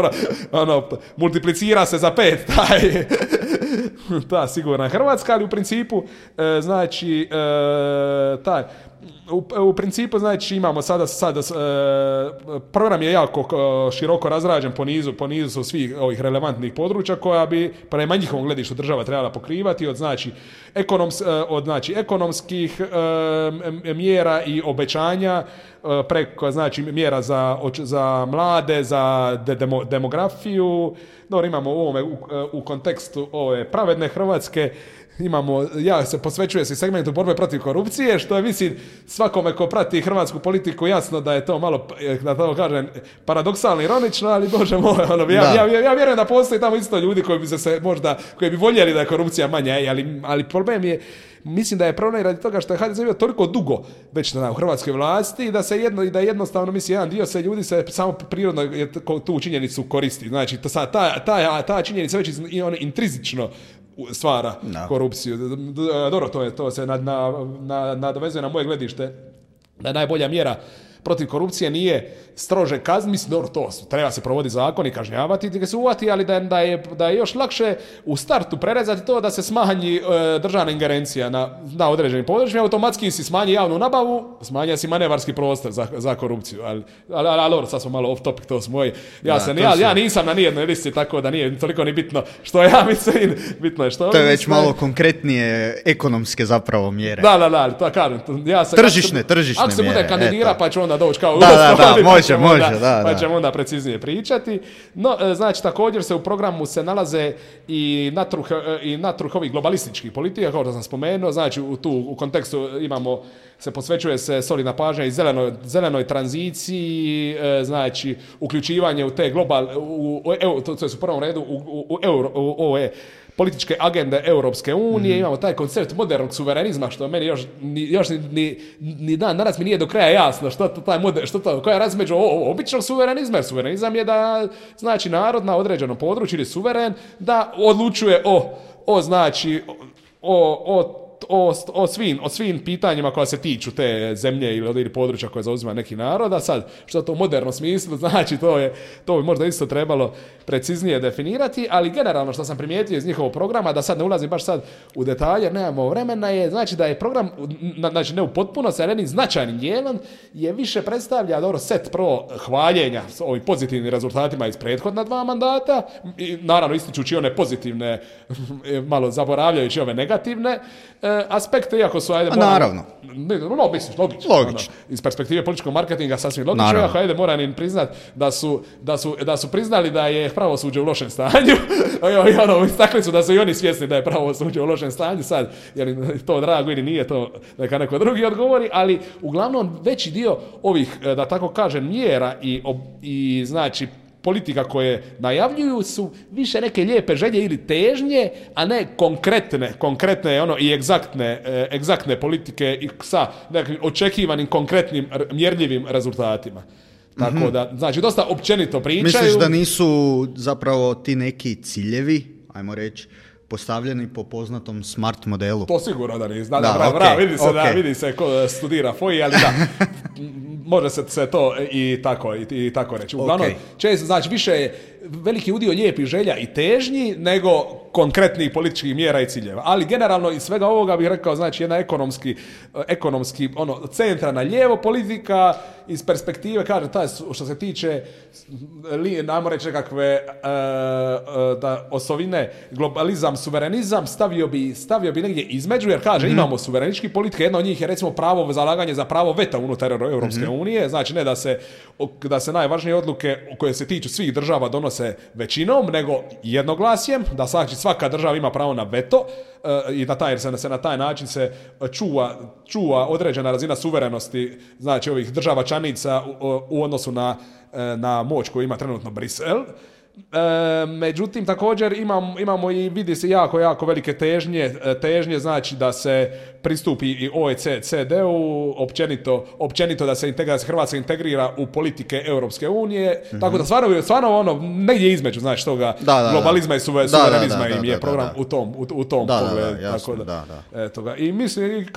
multiplicira se za 5 ta sigurna Hrvatska, ali u principu znači u principu, znači, imamo sada program je jako široko razrađen po nizu su svih ovih relevantnih područja koja bi prema njihovom gledištu država trebala pokrivati od ekonomskih mjera i obećanja preko, znači, mjera za mlade, za demografiju. Dobro, imamo u kontekstu ove pravedne Hrvatske, se posvećuje se segmentu borbe protiv korupcije, što je, mislim, svakome ko prati hrvatsku politiku jasno da je to malo, da to kažem, paradoksalno, ironično, ali bože moj, ja vjerujem da postoji tamo isto ljudi koji bi voljeli da je korupcija manja, ali problem je, mislim da je problem radi toga što je HDZ bio toliko dugo već u hrvatskoj vlasti i da jednostavno, mislim, jedan dio se ljudi se samo prirodno tu činjenicu koristi. Znači, ta činjenica već intrizično stvara korupciju. Dobro, to se nadovezuje na moje gledište da je najbolja mjera protiv korupcije nije strože kazni, mislim, dobro, to treba se provoditi zakon i kažnjavati ti ga se uvati, ali da je još lakše u startu prerezati to da se smanji državna ingerencija na određenim područjima, automatski si smanji javnu nabavu, smanja si manevarski prostor za korupciju, ali dobro, sad smo malo off topic, to su moji, ja nisam na nijednoj listi, tako da nije toliko ni bitno što ja mislim, bitno je što... To je već malo konkretnije ekonomske zapravo mjere. Da, to kažem. Tržišne mjere. Ako se bude kandidira, pa će onda doći kao... Može, pa ćemo onda preciznije pričati. No, znači, također se u programu se nalaze i natruh ovih globalističkih politika, kao što sam spomenuo, znači u kontekstu posvećuje se solidna pažnja i zelenoj tranziciji, znači uključivanje u te to je u prvom redu u ove političke agende Europske unije, imamo taj koncept modernog suverenizma, što meni još ni dan danas mi nije do kraja jasno koja je razlika među običnog suverenizma, jer suverenizam je da, znači, narod na određenom području ili suveren da odlučuje o svim pitanjima koja se tiču te zemlje ili područja koje zauzima neki narod, a sad, što to u modernom smislu znači, to bi možda isto trebalo preciznije definirati, ali generalno što sam primijetio iz njihovog programa, da sad ne ulazim baš sad u detalje, jer nemamo vremena, je, znači, da je program, znači, ne u potpunosti, ali jednim značajnim dijelom je više predstavlja set hvaljenja s ovim pozitivnim rezultatima iz prethodna 2 mandata, i naravno ističući one pozitivne, malo zaboravljajući ove negativne, aspekte, iako su, ajde, naravno. Misliš, logično. Iz perspektive političkog marketinga sasvim logično, iako, ajde, moram im priznat da su priznali da je pravosuđe u lošem stanju. Istakli su da su i oni svjesni da je pravosuđe u lošem stanju. Sad, je li to drago ili nije, to neka neko drugi odgovori, ali uglavnom veći dio ovih, da tako kažem, mjera i znači politika koje najavljuju su više neke lijepe želje ili težnje, a ne konkretne i egzaktne politike i sa nekim očekivanim konkretnim mjerljivim rezultatima. Tako da, znači, dosta općenito pričaju. Misliš da nisu zapravo ti neki ciljevi, ajmo reći, postavljeni po poznatom SMART modelu? To sigurno da nisu. Vidi se ko studira FOI, ali da, može se to i tako reći. Uglavnom, često, znači, više je veliki udio lijepih želja i težnji nego konkretnih političkih mjera i ciljeva. Ali generalno iz svega ovoga bih rekao, znači, jedna ekonomski centralna lijevo politika iz perspektive, kaže, taj što se tiče, najmo reći nekakve osovine, globalizam, suverenizam, stavio bi negdje između, jer kaže, imamo suverenički politike, jedna od njih je recimo zalaganje za pravo veta unutar Europske unije, znači ne da se najvažnije odluke koje se tiču svih država donose većinom, nego jednoglasjem, da znači svaka država ima pravo na veto i da se na taj način se čuva određena razina suverenosti, znači ovih država članica u odnosu na moć koju ima trenutno Brisel. Međutim, također imamo i vidi se jako velike težnje, znači da se pristupi i OECD-u, općenito da se Hrvatska integrira u politike Europske unije, tako da stvarno negdje između, znači toga globalizma i suverenizma im je program u tom pogledu. I mislim,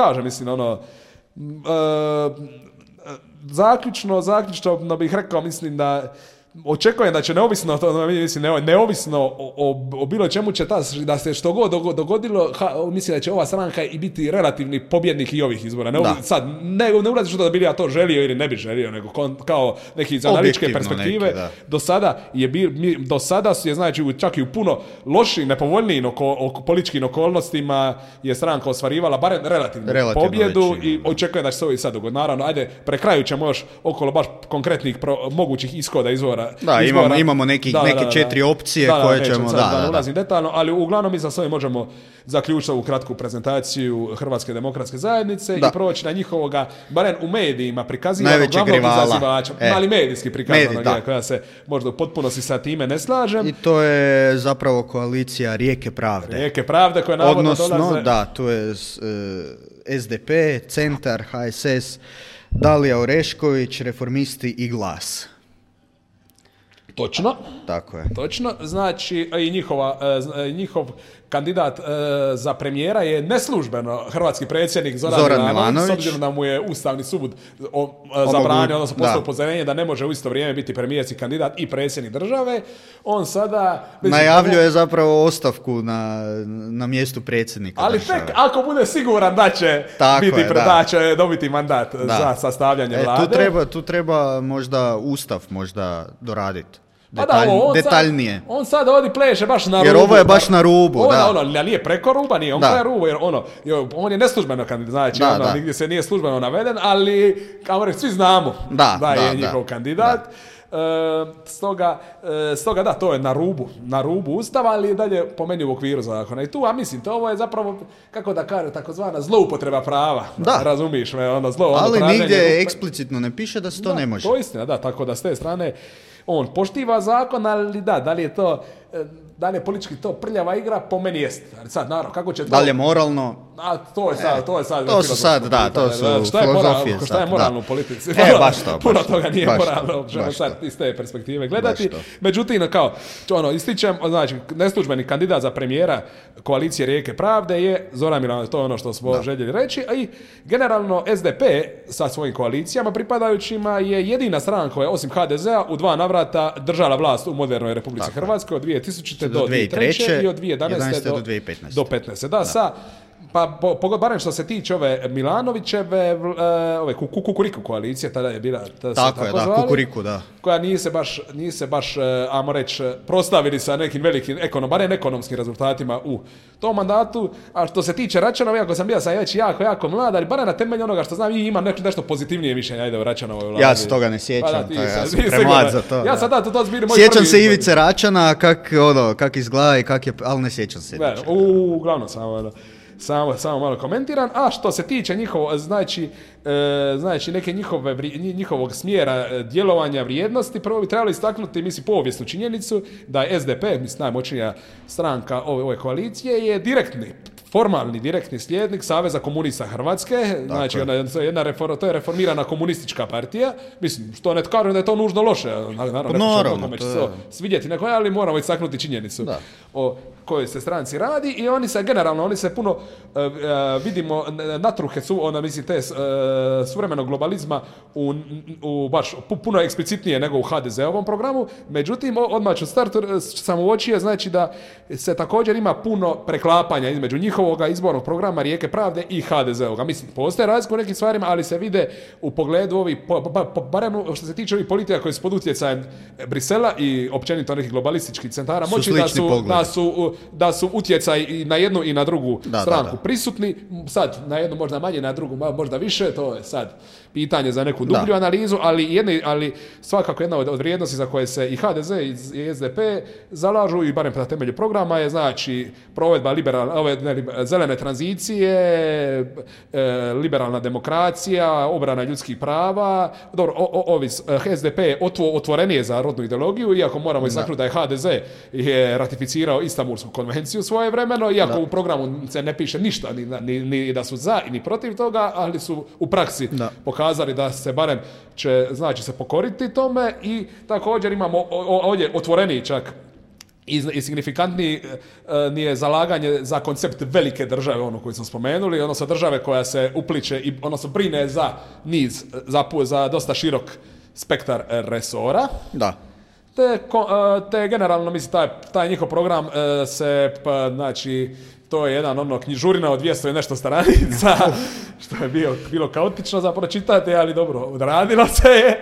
zaključno bih rekao, mislim da očekujem da će neovisno o bilo čemu će da se što god dogodilo, mislim da će ova stranka i biti relativni pobjednik i ovih izbora. Sad, ne ulazi što da bi ja to želio ili ne bi želio, nego kao neki iz analitičke perspektive. Do sada je, znači, čak i u puno lošim, nepovoljnijim političkim okolnostima je stranka ostvarivala barem relativnu pobjedu i očekujem da će se ovo i sad dogoditi. Naravno, ajde, pre kraju ćemo još okolo baš konkretnih mogućih ishoda izvora. Imamo neke 4 opcije koje ćemo... Da ulazim detaljno, ali uglavnom mi za sve možemo zaključiti ovu kratku prezentaciju Hrvatske demokratske zajednice i proći na njihovoga, barem u medijima, prikazivanog glavnog izazivača, ali medijski prikazanog, koja se možda u potpunosti sa time ne slažem. I to je zapravo koalicija Rijeke pravde. Rijeke pravde koja navodno dolaze... Odnosno, da, tu je SDP, Centar, HSS, Dalija Orešković, Reformisti i Glas. Točno. Tako je. Točno. Znači, i njihov kandidat za premijera je neslužbeno hrvatski predsjednik Zoran Milanović, s obzirom da mu je Ustavni sud zabranio, odnosno poslao upozorenje da ne može u isto vrijeme biti premijerski kandidat i predsjednik države. On sada... najavljuje zapravo ostavku na mjestu predsjednika. Ali tek ako bude siguran da će dobiti mandat za sastavljanje vlade. Tu treba možda Ustav doraditi. Detaljnije. On sad ovdje pleše baš na rubu. Jer ovo je baš na rubu, nije preko ruba, nije on pre rubu, jer on je neslužbeno kandidat, znači nigdje se nije službeno naveden, ali kao reći, svi znamo da je njihov kandidat. Stoga da, to je na rubu Ustava, ali dalje po meni u okviru zakona. I tu, mislim, to ovo je zapravo, kako da kaže, takozvana zloupotreba prava. Razumiš me, ali nigdje eksplicitno ne piše da se to ne može. To je istina, tako da s te strane on poštiva zakon, ali da li je to... Da li je politički to prljava igra, po meni jest. Ali sad, naravno, kako će to... Da li je moralno? To je sad... To su sad, to su filozofije. Šta je moralno u politici? Baš to. Puno toga nije moralno, ćemo sad iz te perspektive gledati. Međutim, ističem, znači, neslužbeni kandidat za premijera koalicije Rijeke pravde je Zoran Milanović, to je ono što smo željeli reći. I generalno SDP sa svojim koalicijama pripadajućima je jedina stranka koja je, osim HDZ-a, u 2 navrata držala vlast u modernoj Republici Hrvatskoj od 2000. do 2003. i od 2011. do 2015. Da, sa Pa barem što se tiče ove Milanovićeve, ove Kukuriku koalicije, tada je bila... Tako je, da, Kukuriku, da. Koja nije se baš, ajmo reći, proslavili sa nekim velikim, barem ekonomskim rezultatima u tom mandatu. A što se tiče Račanova, iako sam bio već jako mlad, ali barem na temelju onoga što znam, i imam nešto pozitivnije mišljenje, ajde, o Račanovoj vladi. Ja se toga ne sjećam, ja sam premlad za to. Ja sam da, to zbiri moj sjećam se Ivice Račana, kak izgleda i ali ne sjećam se. Uglavnom samo malo komentiram. A što se tiče njihovog smjera djelovanja vrijednosti, prvo bi trebalo istaknuti, povijesnu činjenicu da je SDP, najmoćnija stranka ove koalicije, je formalni direktni slijednik Saveza komunista Hrvatske, znači to je reformirana komunistička partija, što ne kažem da je to nužno loše, naravno će se svidjeti neko, ali moramo istaknuti činjenicu o kojoj se stranci radi i oni se puno vidimo natruhe te suvremenog globalizma u baš puno eksplicitnije nego u HDZ-ovom programu, međutim odmah ću startu sam uočio, znači da se također ima puno preklapanja između njihovoga izbornog programa Rijeke pravde i HDZ-ovoga. Postoje razlike u nekim stvarima, ali se vide u pogledu ovih, barem što se tiče ovih politika koji su pod utjecajem Brisela i općenito nekih globalističkih centara moći da su utjecaj i na jednu i na drugu stranku prisutni. Sad, na jednu možda manje, na drugu možda više, to je sad pitanje za neku dublju analizu, ali svakako jedna od vrijednosti za koje se i HDZ i SDP zalažu i barem na temelju programa je znači provedba zelene tranzicije, liberalna demokracija, obrana ljudskih prava. Dobro, SDP je otvorenije za rodnu ideologiju, iako moramo istaknuti da je HDZ je ratificirao Istanbulsku konvenciju svojevremeno, iako u programu se ne piše ništa, ni da su za ni protiv toga, ali su u praksi pokazali da se barem će se pokoriti tome i također imamo ovdje otvoreniji čak i signifikantniji nije zalaganje za koncept velike države, ono koji smo spomenuli, odnosno države koja se upliče i odnosno brine za niz, za dosta širok spektar resora. Da. Te generalno, taj njihov program se, znači, to je jedan knjižurina od 200 i nešto stranica, što je bilo kaotično za pročitati, ali dobro, odradilo se je.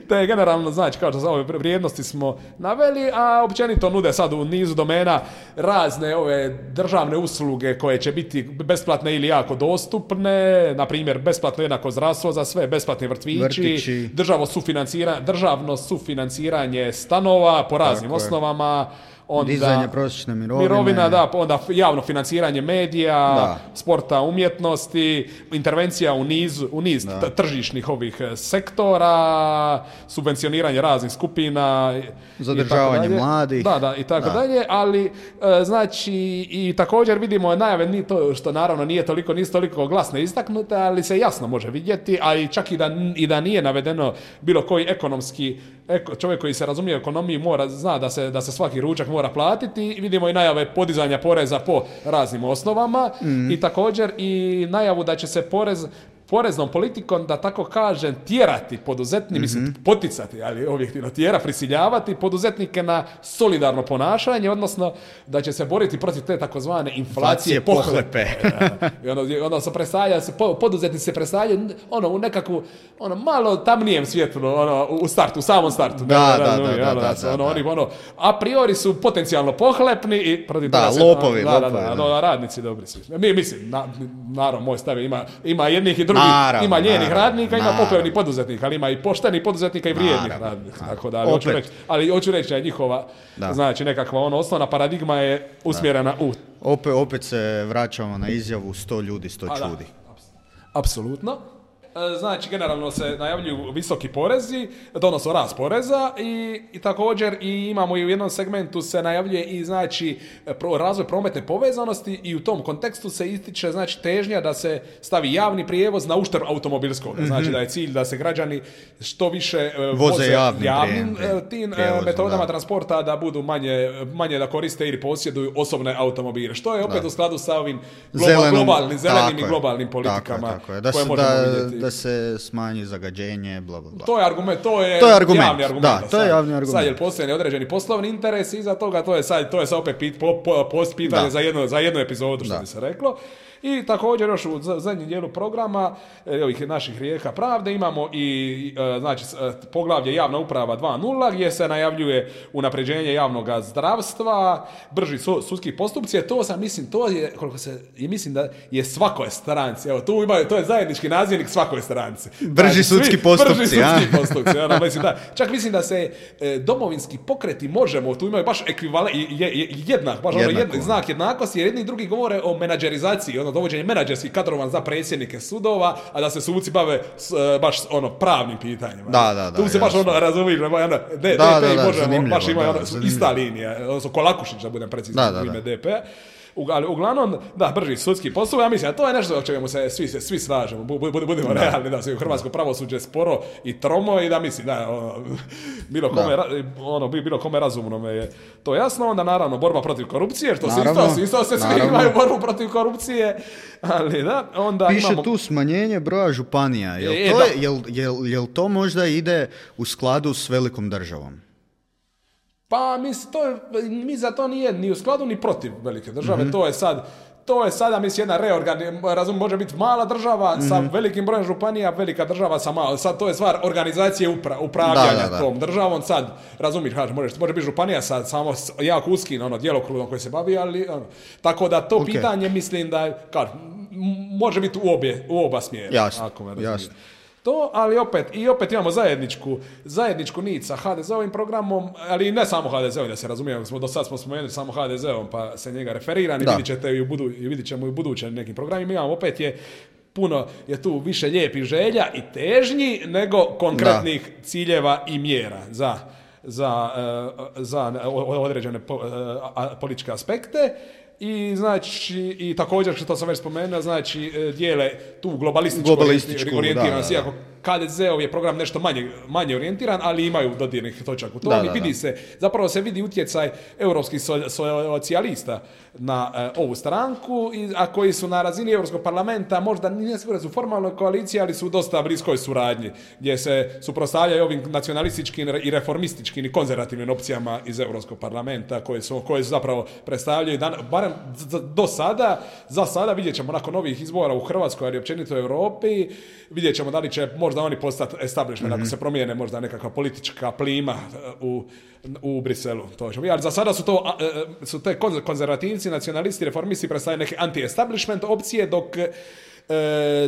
Te generalno, znači, kao što za ove vrijednosti smo naveli, a općenito nude sad u nizu domena razne ove državne usluge koje će biti besplatne ili jako dostupne, na primjer besplatno jednako zdravstvo za sve, besplatni vrtići. Državno sufinanciranje stanova po raznim osnovama, onda dizanje prosječne mirovine, onda javno financiranje medija, sporta, umjetnosti, intervencija u niz tržišnih ovih sektora, subvencioniranje raznih skupina, zadržavanje mladih, i tako dalje, ali znači i također vidimo najave, ni to što naravno nisu toliko glasne istaknute, ali se jasno može vidjeti, a i čak i da nije navedeno bilo koji ekonomski čovjek koji se razumije u ekonomiji zna da se svaki ručak mora platiti i vidimo i najave podizanja poreza po raznim osnovama i također i najavu da će se poreznom politikom, da tako kažem, tjerati poduzetnike, poticati, ali objektivno prisiljavati poduzetnike na solidarno ponašanje, odnosno da će se boriti protiv te takozvane inflacije pohlepe. Poduzetnici se predstavljaju u nekakvu malo tamnijem svjetlu, u samom startu. A priori su potencijalno pohlepni i protiv lopovi. Radnici dobri su. Naravno, moj stav ima jednih i drugih. Ima lijenih radnika, ima pokojnih poduzetnika, ali ima i poštenih poduzetnika i vrijednih radnika. Tako da, hoću reći da je njihova, znači nekakva osnovna paradigma je usmjerena u... Opet se vraćamo na izjavu 100 ljudi, 100 čudi. Apsolutno. Znači, generalno se najavljuju visoki porezi, odnosno rast poreza i također imamo i u jednom segmentu se najavljuje i znači razvoj prometne povezanosti i u tom kontekstu se ističe znači težnja da se stavi javni prijevoz na uštrb automobilskog. Znači da je cilj da se građani što više voze javnim tim metodama transporta, da budu manje da koriste ili posjeduju osobne automobile. Što je opet u skladu sa ovim zelenim i globalnim politikama koje možemo vidjeti. Da se smanji zagađenje, bla, bla, bla. To je argument. Javni argument. Da, to je javni argument. Sad je postoje određeni poslovni interes iza toga, to je sad opet pitanje za jednu epizodu, što bi se reklo. I također još u zadnjem dijelu programa ovih naših rijeka pravde imamo i znači poglavlje javna uprava 2.0 gdje se najavljuje unapređenje javnog zdravstva, brži sudski postupci. To sam mislim, to je koliko se mislim da je svakoj stranci. Evo tu imaju, to je zajednički nazivnik svakoj stranci. Brži sudski postupci. Brži sudski postupci. Mislim, da. Čak mislim da se domovinski pokreti Možemo, tu imaju baš ekvivalent jednak, baš ono znak jednakosti, jer jedni i drugi govore o menadžerizaciji, ono dovođenje menadžerskih kadrova za predsjednike sudova, a da se suci bave baš ono pravnim pitanjima. Da, tu se baš ono razumiješ, DP i Možemo, baš imaju ista linija, odnosno Kolakušić, da budem precizan u ime DP. Ali uglavnom, da, brži sudski postupak, ja mislim, a to je nešto o čemu se svi slažemo, budemo realni, da se u hrvatsko pravosuđe sporo i tromo i da mislim, da, bilo kome razumno je to jasno, onda naravno borba protiv korupcije, što isto se svi imaju borbu protiv korupcije, ali da, onda piše imamo... tu smanjenje broja županija, jel to možda ide u skladu s velikom državom? Pa mi za to nije ni u skladu ni protiv velike države, to je sada mislim jedna reorganizacija, može biti mala država sa velikim brojem županija, velika država sa malo, sad to je stvar organizacije upravljanja tom državom, sad razumiješ, može biti županija sa samo jako uskim djelokrugom koji se bavi, ali tako da to pitanje mislim da može biti u oba smjera. Jasno. To, ali opet imamo zajedničku nit sa HDZ-ovim programom, ali ne samo HDZ-ovim, da se razumijemo, do sad smo spomenuli samo HDZ-om, pa se njega referiran i vidit ćemo i u budućem nekim programima. Imamo opet puno je tu više lijepih želja i težnji nego konkretnih ciljeva i mjera za određene političke aspekte. I znači i također što sam već spomenuo, znači dijele tu globalističku orijentiranost, iako HDZ-ov je program nešto manje orijentiran, ali imaju dodirnih točaka u tom i zapravo se vidi utjecaj europskih socijalista na ovu stranku, a koji su na razini Europskog parlamenta možda nije sigurno su formalnoj koaliciji, ali su u dosta bliskoj suradnji, gdje se suprotstavljaju ovim nacionalističkim i reformističkim i konzervativnim opcijama iz Europskog parlamenta koje su zapravo predstavljaju, barem za sada vidjet ćemo nakon ovih izbora u Hrvatskoj, ali općenito u Europi, vidjet ćemo da li će možda oni postati establishment, ako se promijene možda nekakva politička plima u Briselu. Ali za sada su te konzervativci, nacionalisti, reformisti predstavljaju neke anti-establishment opcije, dok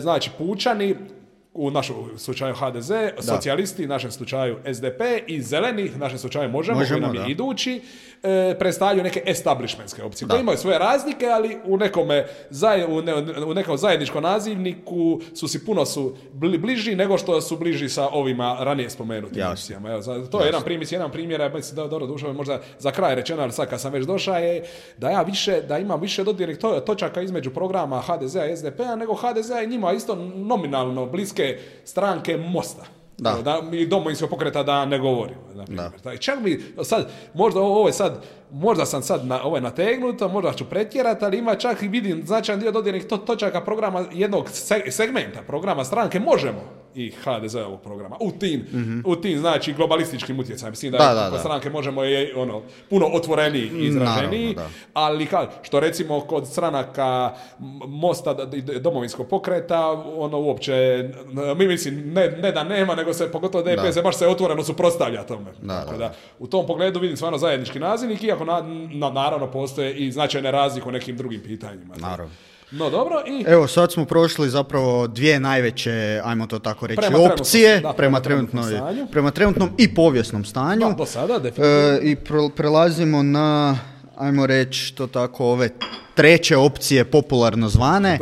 znači pučani, u našem slučaju HDZ, socijalisti, u našem slučaju SDP i zeleni, u našem slučaju Možemo koji nam je idući, predstavljaju neke establishmentske opcije. Koje imaju svoje razlike, ali u nekom zajedničkom nazivniku puno su bliži nego što su bliži sa ovima ranije spomenutim opcijama. To je jedan primjer, mislim da dobro dušao možda za kraj rečeno, ali sad kad sam već došao je da ima više dodirnih točaka između programa HDZ-a i SDP-a nego HDZ-a i njima isto nominalno bliske stranke Mosta. I Domovinskog pokreta da ne govorimo. Čak mi sad, možda sam sad nategnuto, možda ću pretjerati, ali ima čak i vidim značajan dio dodirnih točaka programa jednog segmenta, programa stranke Možemo i HDZ-ovog programa. U tim znači globalističkim utjecajem. Mislim da stranke Možemo je puno otvoreniji i izraženiji, ali što recimo kod stranaka Mosta i Domovinskog pokreta, uopće, mislim, ne da nema, nego se, pogotovo DP se baš se otvoreno suprotstavlja tome. U tom pogledu vidim stvarno zajednički nazivnik, iako naravno postoje i značajne razlike u nekim drugim pitanjima. Naravno. No dobro i... Evo sad smo prošli zapravo dvije najveće, ajmo to tako reći, opcije prema trenutnom i povijesnom stanju. Do sada, definitivno. I prelazimo na, ajmo reći to tako, ove treće opcije popularno zvane.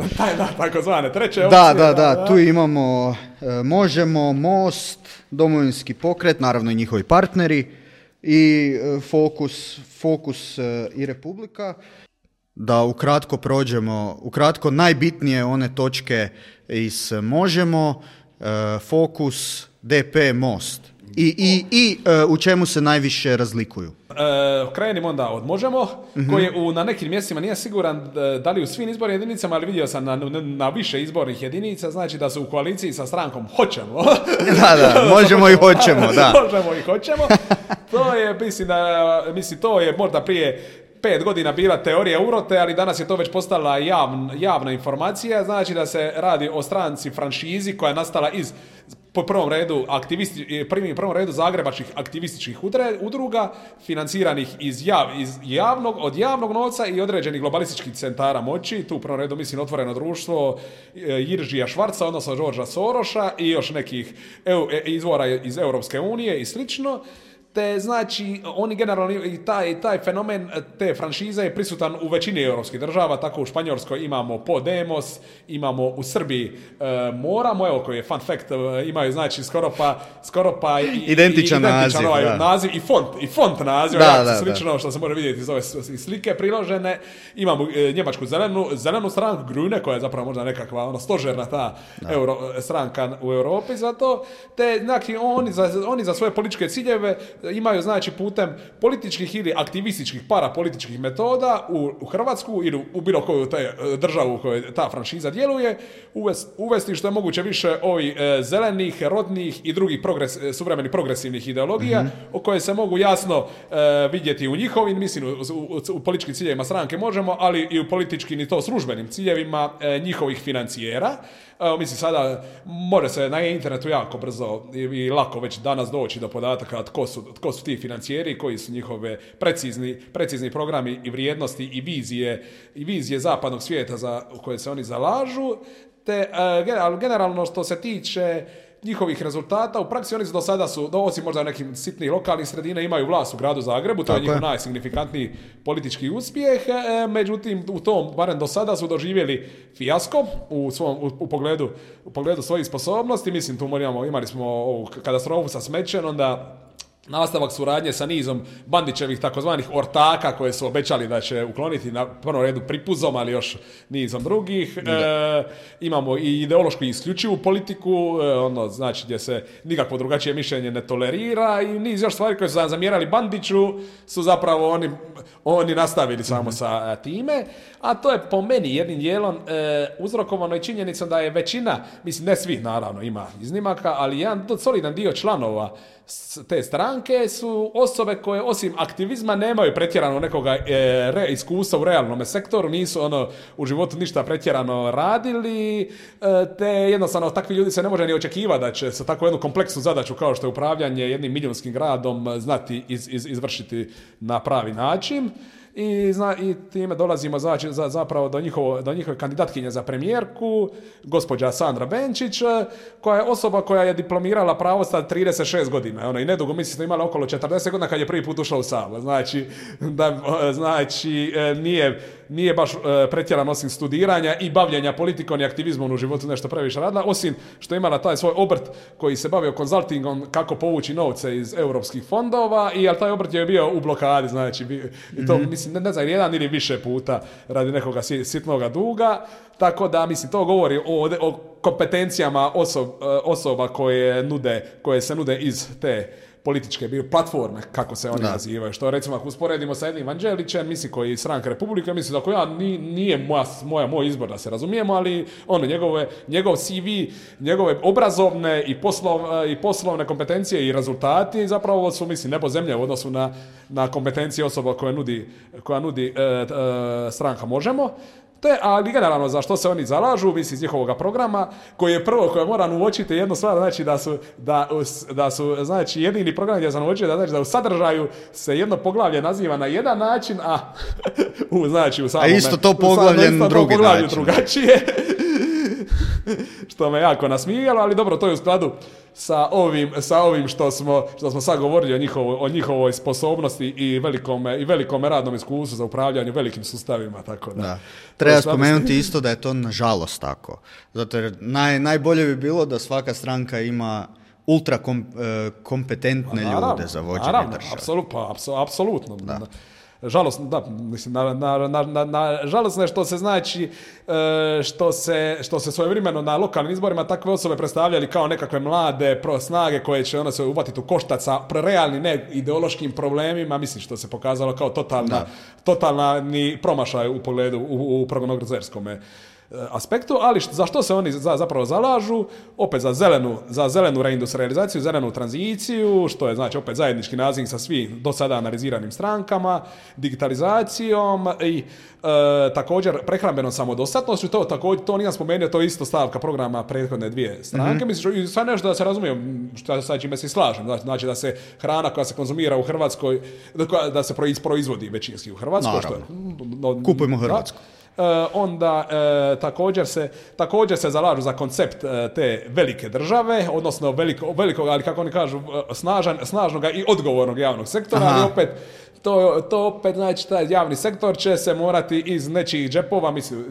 Tako zvane, treće opcije. Da, tu imamo Možemo, Most, Domovinski pokret, naravno i njihovi partneri i Fokus i Republika. Da ukratko prođemo, najbitnije one točke iz Možemo, Fokus, DP, Most. I u čemu se najviše razlikuju? Krenimo onda od Možemo, koji na nekim mjestima nije siguran da li u svim izbornim jedinicama, ali vidio sam na više izbornih jedinica, znači da su u koaliciji sa strankom Hoćemo. Možemo i Hoćemo, da. Možemo i Hoćemo. To je, mislim, to je možda prije 5 godina bila teorija urote, ali danas je to već postala javna informacija, znači da se radi o stranci franšizi koja je nastala iz po prvom redu prvom redu zagrebačkih aktivističkih udruga financiranih od javnog novca i određenih globalističkih centara moći. Tu u prvom redu mislim Otvoreno društvo Jiržija Švarca, odnosno Georgea Soroša i još nekih izvora iz Europske unije i slično. Te znači oni generalno i taj fenomen te franšize je prisutan u većini europskih država, tako u Španjolskoj imamo Podemos, imamo u Srbiji Moramo, evo koji je fun fact, imaju znači skoro pa identičan naziv i font naziv, slično što se može vidjeti iz ove slike priložene. Imamo njemačku zelenu stranku Grüne, koja je zapravo možda nekakva stožerna ta stranka u Europi za to, te znači oni za svoje političke ciljeve imaju znači putem političkih ili aktivističkih parapolitičkih metoda u Hrvatsku ili u bilo koju državu u kojoj ta franšiza djeluje uvesti što je moguće više ovih zelenih, rodnih i drugih suvremenih progresivnih ideologija o koje se mogu jasno vidjeti u njihovim, mislim u političkim ciljevima stranke možemo, ali i u političkim i to službenim ciljevima njihovih financijera. Mislim sada može se na internetu jako brzo i lako već danas doći do podataka tko su ti financijeri, koji su njihove precizni programi i vrijednosti i vizije zapadnog svijeta u koje se oni zalažu, te generalno što se tiče njihovih rezultata, u praksi oni do sada su, osim možda nekim sitnih lokalnih sredina, imaju vlast u gradu Zagrebu, to je njihov najsignifikantniji politički uspjeh, međutim u tom, barem do sada su doživjeli fijasko u pogledu svojih sposobnosti. Mislim, tu imali smo ovu katastrofu sa smećem, onda nastavak suradnje sa nizom Bandićevih takozvanih ortaka koje su obećali da će ukloniti na prvom redu pripuzom, ali još nizom drugih. Imamo i ideološku i isključivu politiku, znači gdje se nikakvo drugačije mišljenje ne tolerira i niz još stvari koje su zamjerali Bandiću su zapravo oni nastavili samo sa time, a to je po meni jednim dijelom uzrokovano i činjenicom da je većina, mislim ne svih naravno, ima iznimaka, ali jedan solidan dio članova te stranke su osobe koje osim aktivizma nemaju pretjerano nekoga iskustva u realnom sektoru, nisu u životu ništa pretjerano radili, te jednostavno takvi ljudi se ne može ni očekivati da će sa tako jednu kompleksnu zadaću kao što je upravljanje jednim milijunskim gradom znati izvršiti na pravi način. I time dolazimo zapravo do njihove kandidatkinje za premijerku, gospođa Sandra Benčić, koja je osoba koja je diplomirala pravo sa 36 godina. Ona i nedugo, mislim da imala okolo 40 godina kad je prvi put ušla u Sabor. Znači, nije baš pretjerano osim studiranja i bavljenja politikom i aktivizmom u životu nešto previše radila, osim što je imala taj svoj obrt koji se bavio konzultingom kako povući novce iz europskih fondova, ali taj obrt je bio u blokadi, znači, i to mislim, ne znam, jedan ili više puta radi nekoga sitnoga duga, tako da, mislim, to govori o kompetencijama osoba koje se nude iz te političke platforme, kako se oni nazivaju, što recimo ako usporedimo sa jednim Vanđelićem, mislim koji je stranka Republike, mislim da nije moj izbor da se razumijemo, ali njegov CV, njegove obrazovne i poslovne kompetencije i rezultati zapravo su, mislim, nebo zemlje u odnosu na kompetencije osoba koja nudi stranka Možemo. Ali generalno za što se oni zalažu, mislim iz njihovog programa, koje moram uočiti jednu stvar, znači da su znači jedini program gdje sam uočio da u sadržaju se jedno poglavlje naziva na jedan način, a u samome, a isto to poglavlje na drugi način. Drugačije. Što me jako nasmijalo, ali dobro, to je u skladu sa ovim što smo sad govorili o njihovoj sposobnosti i velikome radnom iskustvu za upravljanje velikim sustavima, tako da. Treba spomenuti isto da je to nažalost tako. Zato jer najbolje bi bilo da svaka stranka ima ultra kompetentne ljude za vođenje države. Apsolutno. Da. Žalosno, da, mislim, žalosno je što se znači što se svojevremeno na lokalnim izborima takve osobe predstavljali kao nekakve mlade snage koje će se uvatiti u koštac sa realnim ne ideološkim problemima, mislim što se pokazalo kao totalni promašaj u pogledu u prognozerskom aspektu, ali za što se oni zapravo zalažu? Opet za zelenu reindustrializaciju, zelenu tranziciju, što je znači opet zajednički naziv sa svim do sada analiziranim strankama, digitalizacijom i također prehrambenom samodostatnošću. To nisam spomenuo, to je isto stavka programa prethodne dvije stranke. Mislim, i sad nešto da se razumijem, što sa čime se slažem. Znači da se hrana koja se konzumira u Hrvatskoj, da se proizvodi većinski u Hrvatskoj. Kupujmo Hrvatsku. Onda također se zalažu za koncept te velike države, odnosno velikog, ali kako oni kažu, snažnog i odgovornog javnog sektora, ali opet to opet znači taj javni sektor će se morati iz nečijih džepova, mislim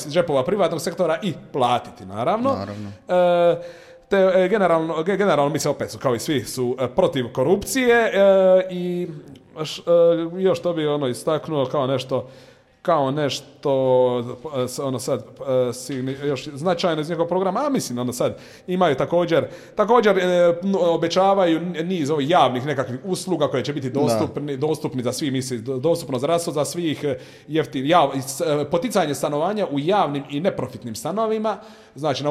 džepova privatnog sektora i platiti, naravno. Generalno mislim opet su kao i svi su protiv korupcije i još to bi istaknuo kao nešto sad još značajno iz njegovog programa, a mislim sad imaju također obećavaju niz ovih javnih nekakvih usluga koje će biti dostupni za svi, mislim, dostupno zdravstvo za svih, poticanje stanovanja u javnim i neprofitnim stanovima, znači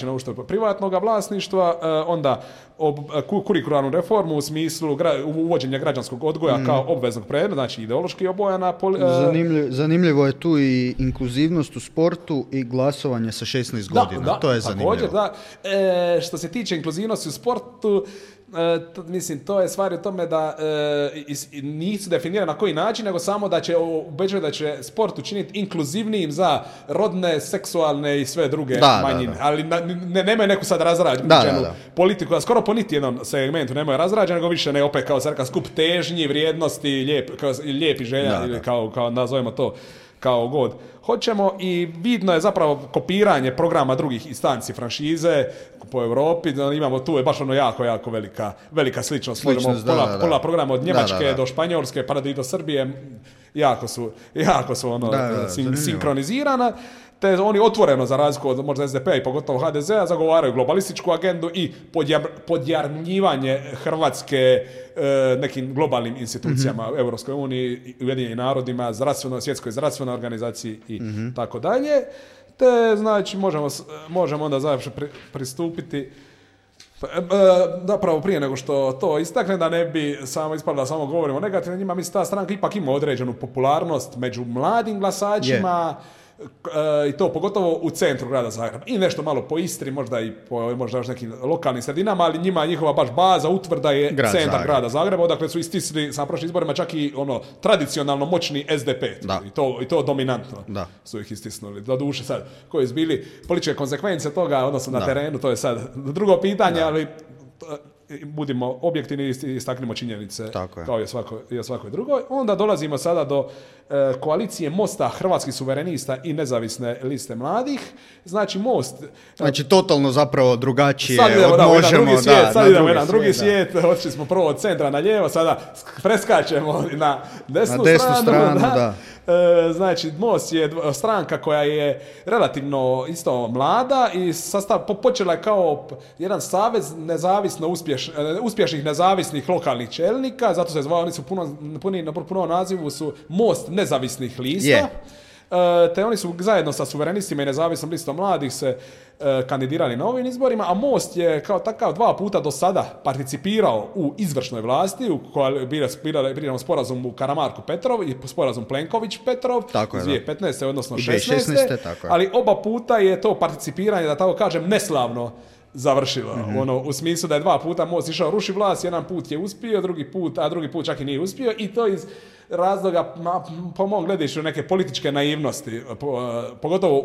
na uštrb privatnog vlasništva, onda kurikularnu reformu u smislu uvođenja građanskog odgoja kao obveznog predmeta, znači ideološki obojana. Zanimljivo je tu i inkluzivnost u sportu i glasovanje sa 16 godina. To je zanimljivo. Također, što se tiče inkluzivnosti u sportu, mislim, to je stvar u tome da nisu definirani na koji način, nego samo da će obećati da će sport učiniti inkluzivnijim za rodne, seksualne i sve druge manjine. Ali nemaju neku sad razrađenu politiku, a skoro po niti jednom segmentu nemaju razrađenu, nego više ne opet kao skup težnji, vrijednosti, lijepi želja, ili kao nazovemo to kao god hoćemo, i vidno je zapravo kopiranje programa drugih instanci franšize po Europi. Imamo tu je baš jako velika sličnost. Pola programa od Njemačke do Španjolske pa i do Srbije jako su sinkronizirana. Te oni otvoreno, za razliku od možda SDP-a i pogotovo HDZ-a, zagovaraju globalističku agendu i podjarmljivanje Hrvatske nekim globalnim institucijama, Europskoj uniji, Ujedinjenim narodima, svjetskoj zdravstvenoj organizaciji i tako dalje. Te znači možemo onda završi pristupiti. Zapravo prije nego što to istakne, da ne bi samo ispalo da samo govorimo negativno njima, mislim ta stranka ipak ima određenu popularnost među mladim glasačima, i to pogotovo u centru grada Zagreba i nešto malo po Istri, možda i po možda još nekim lokalnim sredinama, ali njihova baš baza, utvrda je centar grada Zagreba, odakle su istisli sa prošlim izborima čak i tradicionalno moćni SDP. I to dominantno su ih istisnuli. Doduše sad, koje su bili političke konsekvence toga, odnosno na terenu, to je sad drugo pitanje, ali budimo objektivni i istaknimo činjenice kao i o svakoj drugoj. Onda dolazimo sada do koalicije Mosta, Hrvatskih suverenista i nezavisne liste mladih. Znači Most... Znači totalno zapravo drugačije sad idemo jedan drugi svijet. Otišli smo prvo od centra na lijevo, sada preskačemo na desnu stranu. Znači Most je stranka koja je relativno isto mlada i počela je kao jedan savez uspješnih nezavisnih lokalnih čelnika, zato se zvao, oni su puno nazivu su Most nezavisnih lista. Te oni su zajedno sa suverenistima i nezavisnom listom mladih se kandidirali na ovim izborima, a Most je kao takav 2 puta do sada participirao u izvršnoj vlasti, u kojoj biramo sporazum Karamarko-Petrov i sporazum Plenković-Petrov iz 2015. odnosno 2016. Ali oba puta je to participiranje, da tako kažem, neslavno završilo. U smislu da je 2 puta Most išao ruši vlast, jedan put je uspio, drugi put čak i nije uspio, i to iz razloga, po mom gledištu, neke političke naivnosti, pogotovo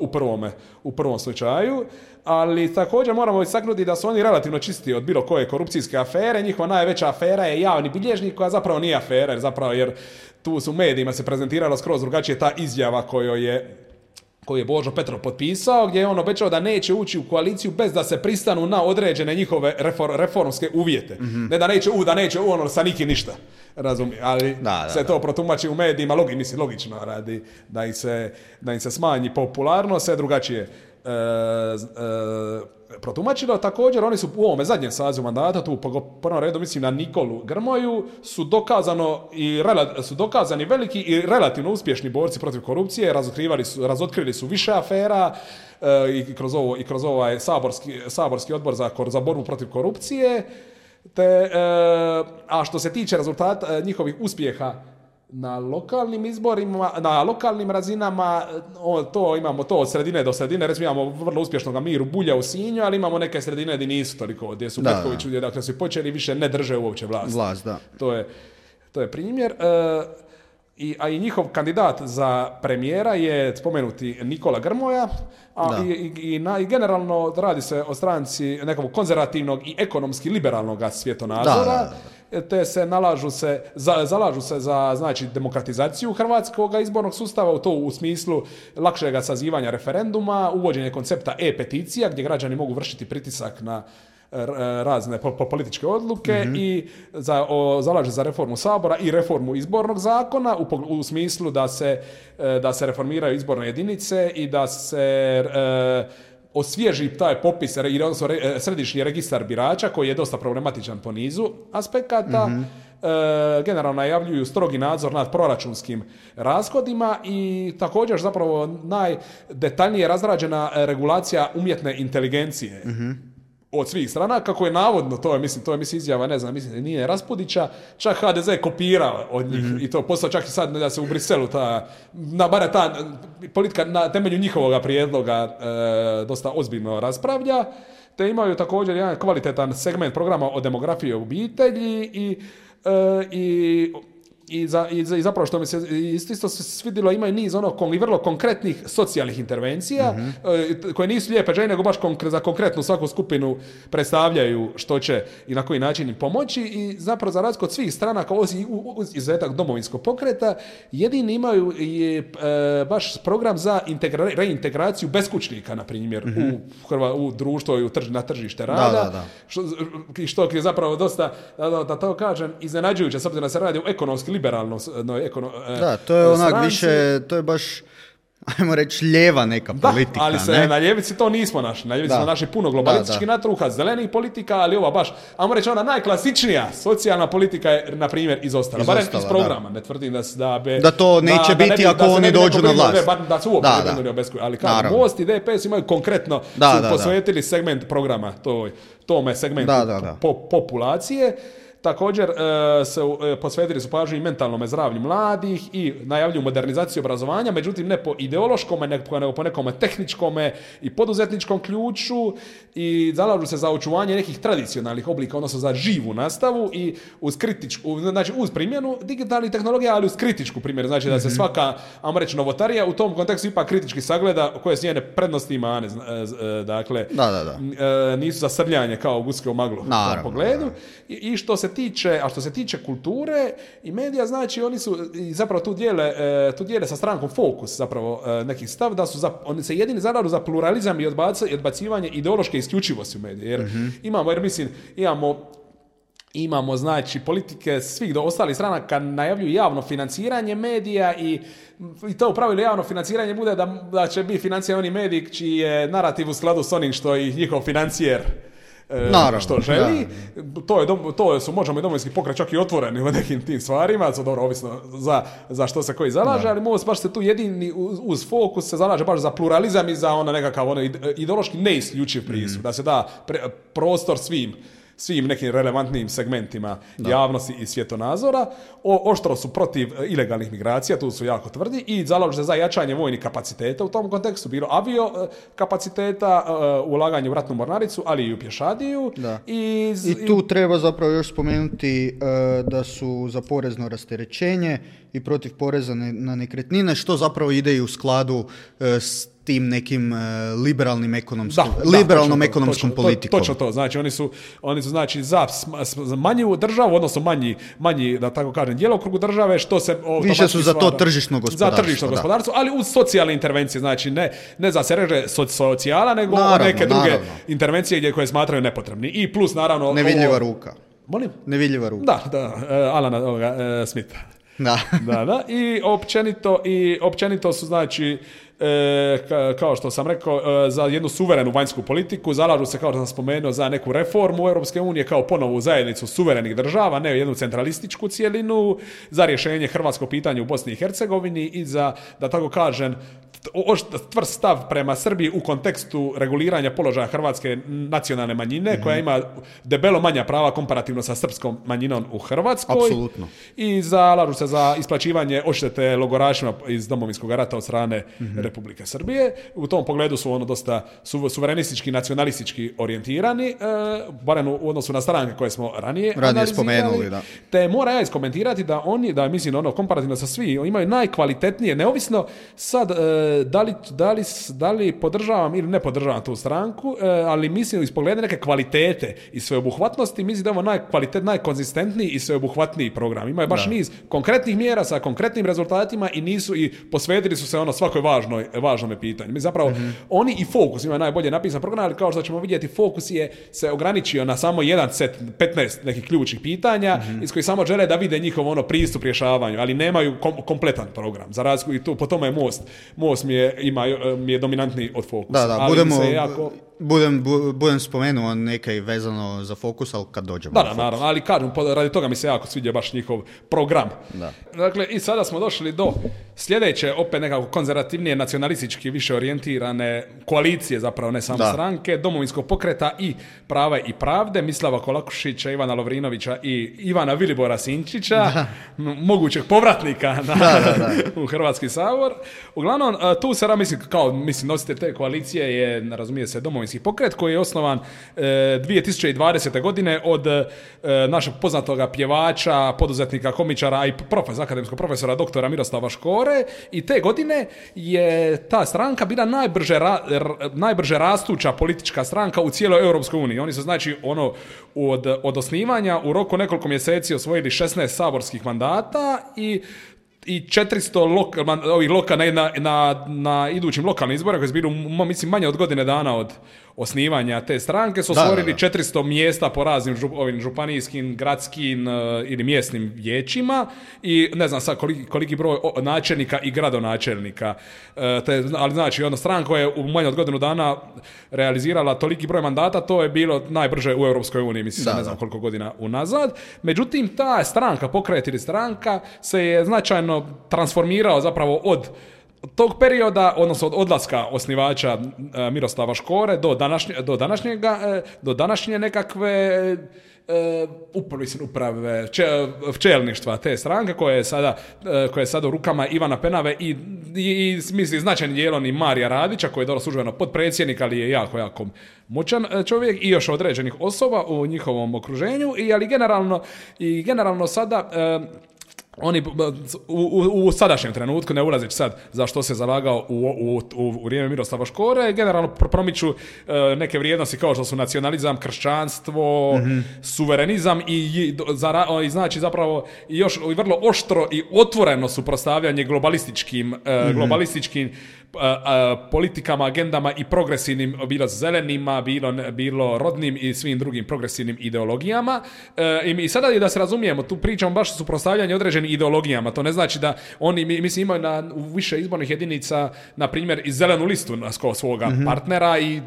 u prvom slučaju, ali također moramo istaknuti da su oni relativno čisti od bilo koje korupcijske afere. Njihova najveća afera je javni bilježnik, koja zapravo nije afera, jer tu su u medijima se prezentirala skroz drugačije ta izjava koju je Božo Petrov potpisao, gdje je on obećao da neće ući u koaliciju bez da se pristanu na određene njihove reformske uvjete. Ne da neće sa nikim ništa. Razumije, ali to protumači u medijima logično radi da im se smanji popularnost, sve drugačije protumačilo. Također oni su u ovome zadnjem sazivu mandata, tu po prvom redu mislim na Nikolu Grmoju, su dokazani veliki i relativno uspješni borci protiv korupcije, razotkrili su više afera i kroz ovaj saborski odbor za borbu protiv korupcije. A što se tiče rezultata njihovih uspjeha na lokalnim izborima, na lokalnim razinama, imamo to od sredine do sredine. Recimo imamo vrlo uspješnog Miru Bulja u Sinju, ali imamo neke sredine gdje nisu toliko, gdje su Petković, dakle su počeli više ne drže uopće vlast. Da. To je primjer. A i njihov kandidat za premijera je spomenuti Nikola Grmoja, i generalno radi se o stranci nekog konzervativnog i ekonomski liberalnog svjetonazora, te se zalažu se za znači demokratizaciju hrvatskog izbornog sustava, u to u smislu lakšega sazivanja referenduma, uvođenje koncepta e-peticija gdje građani mogu vršiti pritisak na razne političke odluke i zalaže za reformu Sabora i reformu izbornog zakona u smislu da se reformiraju izborne jedinice i da se osvježi taj popis, odnosno središnji registar birača koji je dosta problematičan po nizu aspekata. Generalno najavljuju strogi nadzor nad proračunskim rashodima i također zapravo najdetaljnije razrađena regulacija umjetne inteligencije od svih strana, kako je navodno, to je izjava, ne znam, mislim nije Raspudića, čak HDZ je kopirao od njih i to postao čak i sad da se u Briselu ta politika na temelju njihovoga prijedloga dosta ozbiljno raspravlja, te imaju također jedan kvalitetan segment programa o demografiji i obitelji i zapravo što mi se isto svidjelo, imaju niz i vrlo konkretnih socijalnih intervencija koje nisu lijepe želje, nego baš za konkretnu svaku skupinu predstavljaju što će i na koji način im pomoći, i zapravo za razliku od svih stranaka uz izuzetak Domovinskog pokreta jedini imaju baš program za reintegraciju beskućnika, na primjer, u društvo i na tržište rada. Što je zapravo dosta, da to kažem, iznenađujuće, s obzirom da se radi o ekonomski liberalno. To je onak više, to je baš, ajmo reći, lijeva neka politika. Ali na ljevici to nismo našli. Na ljevici smo našli puno globalistički natruha, zelenih politika, ali ova baš, ajmo reći, ona najklasičnija socijalna politika je, na primjer, izostala. Barem iz programa. Ne tvrdim da to neće biti ako oni dođu na vlast. Da se uopće ne brinuo o beskućniku. Ali kao Most i DPS imaju konkretno posvetili segment programa tome segmentu populacije. Također posvetili su pažnju i mentalnom zdravlju mladih i najavljuju modernizaciju obrazovanja, međutim ne po ideološkome, nego po nekome tehničkome i poduzetničkom ključu, i zalažu se za očuvanje nekih tradicionalnih oblika, odnosno za živu nastavu i uz primjenu digitalnih tehnologija, ali uz kritičku primjenu, znači da se svaka, ajmo reći, novotarija u tom kontekstu ipak kritički sagleda koje su njene prednosti i mane, dakle nisu za srljanje kao guske u maglu u tom pogledu. I što se tiče kulture i medija, znači oni su zapravo tu dijele sa strankom Fokus zapravo neki stav da su oni se jedini zalažu za pluralizam i odbacivanje ideološke isključivosti u mediji. Imamo znači politike svih do ostalih stranaka najavljuju javno financiranje medija i to u pravilu javno financiranje bude da će biti financirani mediji čiji je narativ u skladu s onim što i njihov financijer što želi. Možemo i Domovinski pokret čak i otvoreni u nekim tim stvarima, dobro, ovisno za što se koji zalaže, ali Most baš se tu jedini uz Fokus se zalaže baš za pluralizam i za nekakav ideološki neisključiv pristup, da se da prostor svim nekim relevantnim segmentima javnosti i svjetonazora. Oštro su protiv ilegalnih migracija, tu su jako tvrdi, i zalažu se za jačanje vojnih kapaciteta u tom kontekstu, bilo avio kapaciteta, ulaganje u ratnu mornaricu, ali i u pješadiju. I tu treba zapravo još spomenuti da su za porezno rasterećenje i protiv poreza na nekretnine, što zapravo ide i u skladu s tim nekim liberalnom ekonomskom politikom. Točno to. Znači oni su znači za manju državu, odnosno manji da tako kažem djelokrugu države, što se više su za to tržišno gospodarstvo. Za tržišno gospodarstvo, ali uz socijalne intervencije, znači ne za se reže socijala, nego neke druge intervencije koje smatraju nepotrebni. I plus naravno nevidljiva ruka. Molim? Nevidljiva ruka. Da, Alana Smitha. Da. I općenito su znači kao što sam rekao, za jednu suverenu vanjsku politiku, zalažu se, kao što sam spomenuo, za neku reformu Europske unije, kao ponovu zajednicu suverenih država, ne jednu centralističku cjelinu, za rješenje hrvatskog pitanja u Bosni i Hercegovini i za, da tako kažem, tvrst stav prema Srbiji u kontekstu reguliranja položaja hrvatske nacionalne manjine, koja ima debelo manja prava komparativno sa srpskom manjinom u Hrvatskoj. Apsolutno. I zalažu se za isplaćivanje odštete logorašima iz Domovinskog rata od strane Republike Srbije. U tom pogledu su dosta suverenistički, nacionalistički orijentirani, barem u odnosu na stranke koje smo ranije spomenuli, da. Te mora ja iskomentirati da oni, da mislim komparativno sa svi, imaju najkvalitetnije, neovisno sad da li podržavam ili ne podržavam tu stranku, ali mislim iz pogleda neke kvalitete i sveobuhvatnosti, mislim da je ovo najkonzistentniji i sveobuhvatniji program. Imaju baš niz konkretnih mjera sa konkretnim rezultatima i posvetili su se svakoj važnome pitanju. Mi zapravo oni i Fokus imaju najbolje napisan program, ali kao što ćemo vidjeti, Fokus se ograničio na samo jedan set 15 nekih ključnih pitanja iz kojih samo žele da vide njihov pristup rješavanju, ali nemaju kompletan program. Za razliku i tu po tome je Most mi je dominantniji od Fokusa. Da, budem spomenuo neke vezano za Fokus, ali kad dođemo. Da, naravno, ali kažem, radi toga mi se jako sviđa baš njihov program. Da. Dakle, i sada smo došli do sljedeće, opet nekako konzervativnije, nacionalistički više orijentirane koalicije, zapravo ne samo stranke, Domovinskog pokreta i Prava i pravde, Mislava Kolakušića, Ivana Lovrinovića i Ivana Vilibora Sinčića, mogućeg povratnika u Hrvatski sabor. Uglavnom, tu se nositelj te koalicije je, razumije se, Domovinski pokret, koji je osnovan 2020. godine od našeg poznatoga pjevača, poduzetnika, komičara i akademskog profesora doktora Miroslava Škore, i te godine je ta stranka bila najbrže rastuća politička stranka u cijeloj Europskoj uniji. Oni su od osnivanja u roku nekoliko mjeseci osvojili 16 saborskih mandata i 400 na idućim lokalnim izborima, koji su bili, mislim, manje od godine dana od osnivanja te stranke, su osvojili 400 mjesta po raznim županijskim, gradskim ili mjesnim vijećima i ne znam sad koliki broj načelnika i gradonačelnika. Ali znači, stranka koja je u manje od godinu dana realizirala toliki broj mandata, to je bilo najbrže u Europskoj uniji, mislim, ne znam koliko godina unazad. Međutim, ta stranka, pokret ili stranka, se je značajno transformirao zapravo od tog perioda, odnosno od odlaska osnivača Miroslava Škore do današnje nekakve uprave čelništva te stranke, koja je sada u rukama Ivana Penave i mislim značajnim dijelom i Marija Radića, koji je dobro službeno potpredsjednik, ali je jako moćan čovjek, i još određenih osoba u njihovom okruženju, ali generalno sada oni u sadašnjem trenutku, ne ulazeći sad za što se zalagao u vrijeme Miroslava Škore, generalno promiču neke vrijednosti kao što su nacionalizam, kršćanstvo, suverenizam i znači zapravo još vrlo oštro i otvoreno suprotstavljanje globalističkim politikama, agendama i progresivnim, bilo zelenima, bilo rodnim i svim drugim progresivnim ideologijama. I sada je, da se razumijemo, tu pričamo baš o suprotstavljanju određenim ideologijama. To ne znači da oni, mislim, imaju u više izbornih jedinica, na primjer, i zelenu listu svoga partnera i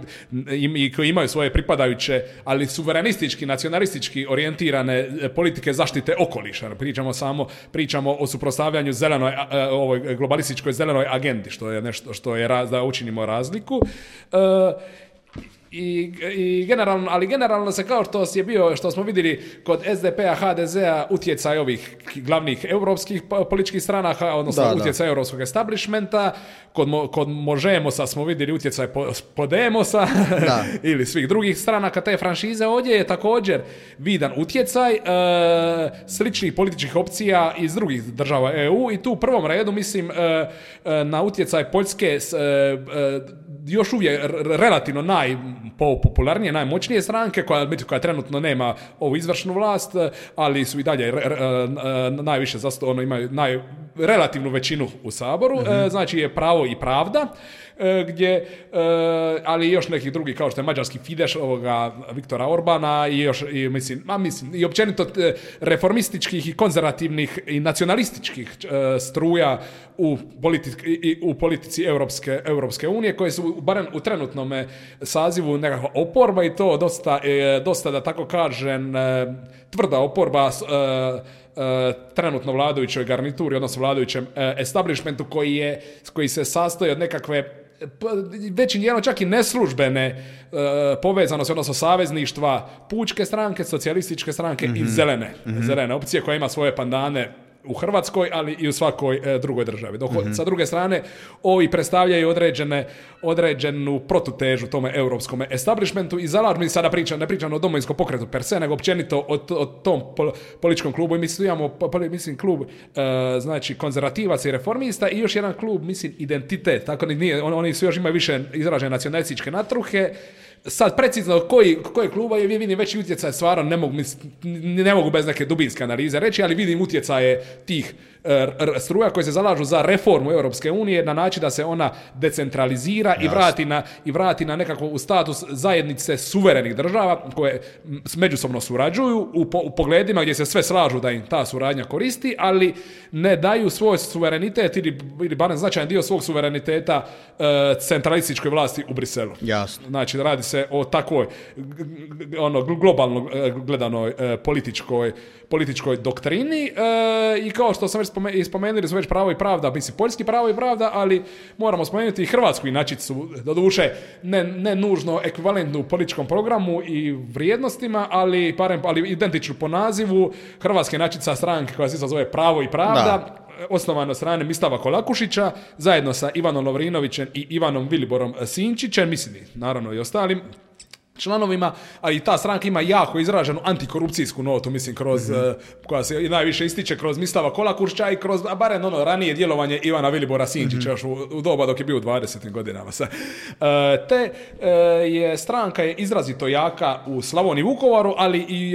koji imaju svoje pripadajuće, ali suverenistički, nacionalistički orijentirane politike zaštite okoliša. Pričamo o suprotstavljanju ovoj globalističkoj zelenoj agendi, što je nešto što je da učinimo razliku. I generalno se, kao što smo vidjeli kod SDP-a, HDZ-a, utjecaj ovih glavnih europskih političkih stranaka, odnosno utjecaj europskog establishmenta, kod Možemosa smo vidjeli utjecaj Podemosa ili svih drugih stranaka te franšize. Ovdje je također vidan utjecaj sličnih političkih opcija iz drugih država EU, i tu u prvom redu mislim na utjecaj Poljske, još uvijek relativno najpopularnije, najmoćnije stranke, koja trenutno nema ovu izvršnu vlast, ali su i dalje najviše imaju relativnu većinu u Saboru, znači je Pravo i pravda, gdje, ali i još nekih drugih kao što je mađarski Fidesz, ovoga Viktora Orbana i još, i općenito reformističkih i konzervativnih i nacionalističkih struja u politici Europske unije, koje su barem u trenutnom sazivu nekakva oporba i to dosta da tako kažem tvrda oporba trenutno vladajućoj garnituri, odnosno vladajućem establishmentu koji se sastoji od nekakve većim dijelom čak i neslužbene povezanosti, odnosno savezništva Pučke stranke, Socijalističke stranke i zelene opcije koja ima svoje pandane u Hrvatskoj, ali i u svakoj drugoj državi. Dok sa druge strane, ovi predstavljaju određenu protutežu tome europskom establishmentu i zalažu, mi sada ne pričam o Domovinskom pokretu per se, nego općenito o tom političkom klubu. I mi imamo, klub znači konzervativaca i reformista i još jedan klub, Identitet. Tako oni su još imaju više izražene nacionalističke natruhe. Sad precizno koji kluba je, vidim veći utjecaj, stvarno ne mogu bez neke dubinske analize reći, ali vidim utjecaje tih struja koji se zalažu za reformu Europske unije na način da se ona decentralizira i vrati na nekako u status zajednice suverenih država koje međusobno surađuju u pogledima gdje se sve slažu da im ta suradnja koristi, ali ne daju svoj suverenitet ili barem značajan dio svog suvereniteta centralističkoj vlasti u Briselu. Jasno. Znači, radi se o takvoj globalno gledanoj političkoj doktrini i kao što sam već spomenuli su već Pravo i pravda, poljski Pravo i pravda, ali moramo spomenuti i hrvatsku inačicu, doduše ne nužno ekvivalentnu u političkom programu i vrijednostima, ali identičnu po nazivu, hrvatska inačica stranke koja se zove Pravo i pravda, osnovano od strane Mislava Kolakušića, zajedno sa Ivanom Lovrinovićem i Ivanom Viliborom Sinčićem, naravno i ostalim članovima, a i ta stranka ima jako izraženu antikorupcijsku notu, koja se najviše ističe kroz Mislava Kolakušića i kroz, barem ranije djelovanje Ivana Vilibora Sinčića, još u doba dok je bio u 20. godinama. Je stranka je izrazito jaka u Slavoniji i Vukovaru,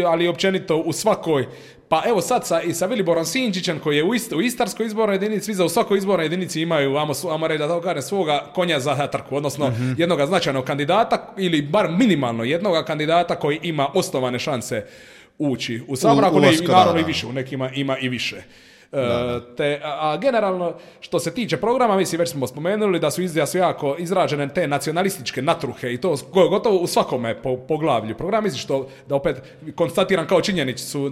ali općenito u svakoj. Pa evo sad sa Viliborom Sinčićem koji je u Istarskoj izbornoj jedinici, svi za u svakoj izbornoj jedinici imaju, ajmo reći da tako kažem, svoga konja za trku, odnosno jednog značajnog kandidata ili bar minimalno jednog kandidata koji ima osnovane šanse ući u Sabor, ako ne naravno i više, u nekima ima i više. A generalno, što se tiče programa, već smo spomenuli da su jako izražene te nacionalističke natruhe i to gotovo u svakome poglavlju programa. Što da opet konstatiram kao činjenicu,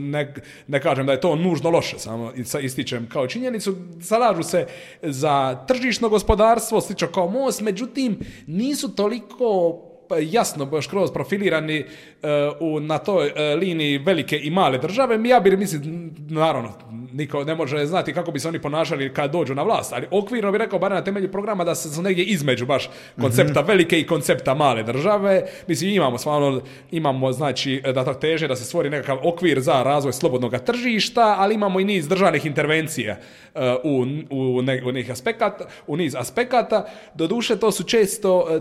ne kažem da je to nužno loše, samo ističem kao činjenicu, zalažu se za tržišno gospodarstvo, slično kao Most, međutim nisu toliko jasno baš kroz profilirani na toj liniji velike i male države. Naravno, niko ne može znati kako bi se oni ponašali kad dođu na vlast, ali okvirno bi rekao, bar na temelju programa, da se negdje između baš koncepta velike i koncepta male države. Imamo znači da to teže da se stvori nekakav okvir za razvoj slobodnog tržišta, ali imamo i niz državnih intervencija u niz aspekata. Doduše,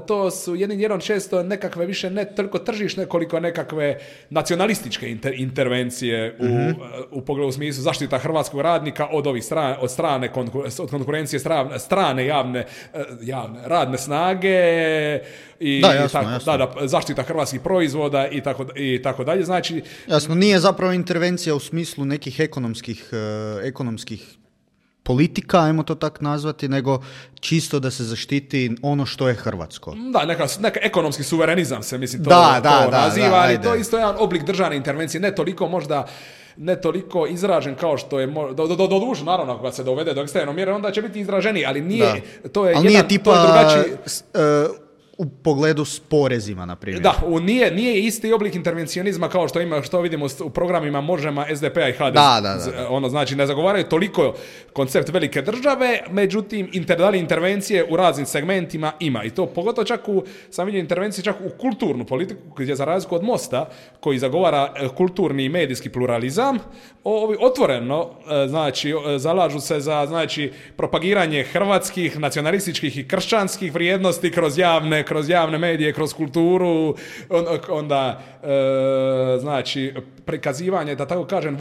to su jednim dijelom često nekakve više ne toliko tržišne koliko nekakve nacionalističke intervencije u pogledu smislu zaštita hrvatskog radnika od ovih od konkurencije strane javne radne snage i zaštita hrvatskih proizvoda i tako dalje. Znači, jasno, nije zapravo intervencija u smislu nekih ekonomskih politika, ajmo to tak nazvati, nego čisto da se zaštiti ono što je hrvatsko. Da, neka ekonomski suverenizam se to naziva, ali to je isto jedan oblik državne intervencije, ne toliko izražen kao što je doduše, naravno, kada se dovede do ekstremne mjere, onda će biti izraženiji, ali nije, to je drugačiji u pogledu s porezima, na primjer. Da, nije isti oblik intervencionizma kao što vidimo u programima Možema, SDP-a i HDZ. Znači, ne zagovaraju toliko koncept velike države, međutim, intervencije u raznim segmentima ima. I to pogotovo sam vidio intervencije čak u kulturnu politiku, gdje za razliku od Mosta, koji zagovara kulturni i medijski pluralizam, otvoreno, znači, zalažu se za, znači, propagiranje hrvatskih, nacionalističkih i kršćanskih vrijednosti kroz javne medije, kroz kulturu, onda znači prikazivanje, da tako kažem,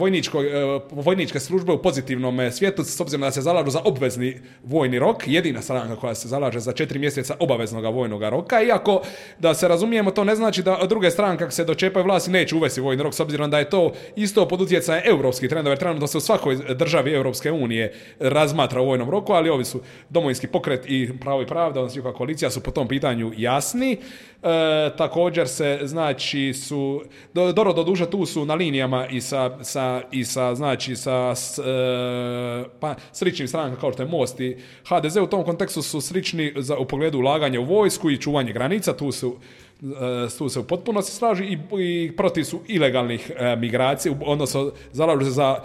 vojničke službe u pozitivnom svijetu, s obzirom da se zalažu za obvezni vojni rok, jedina stranka koja se zalaže za 4 mjeseca obaveznog vojnog roka, iako da se razumijemo, to ne znači da druge stranke kako se dočepaju vlasti neće uvesti vojni rok, s obzirom da je to isto pod utjecajem europskih trendova, jer trenutno se u svakoj državi Europske unije razmatra u vojnom roku, ali ovi su Domovinski pokret i Pravo i pravda, odnosno Juka koalicija su po tom pitanju jasni. Također se, znači, su doduše tu su na linijama i sa sličnim strankama kao što je Most i HDZ, u tom kontekstu su slični u pogledu ulaganja u vojsku i čuvanje granica, tu se u potpunosti slažu i protiv su ilegalnih migracija, odnosno zalažu se za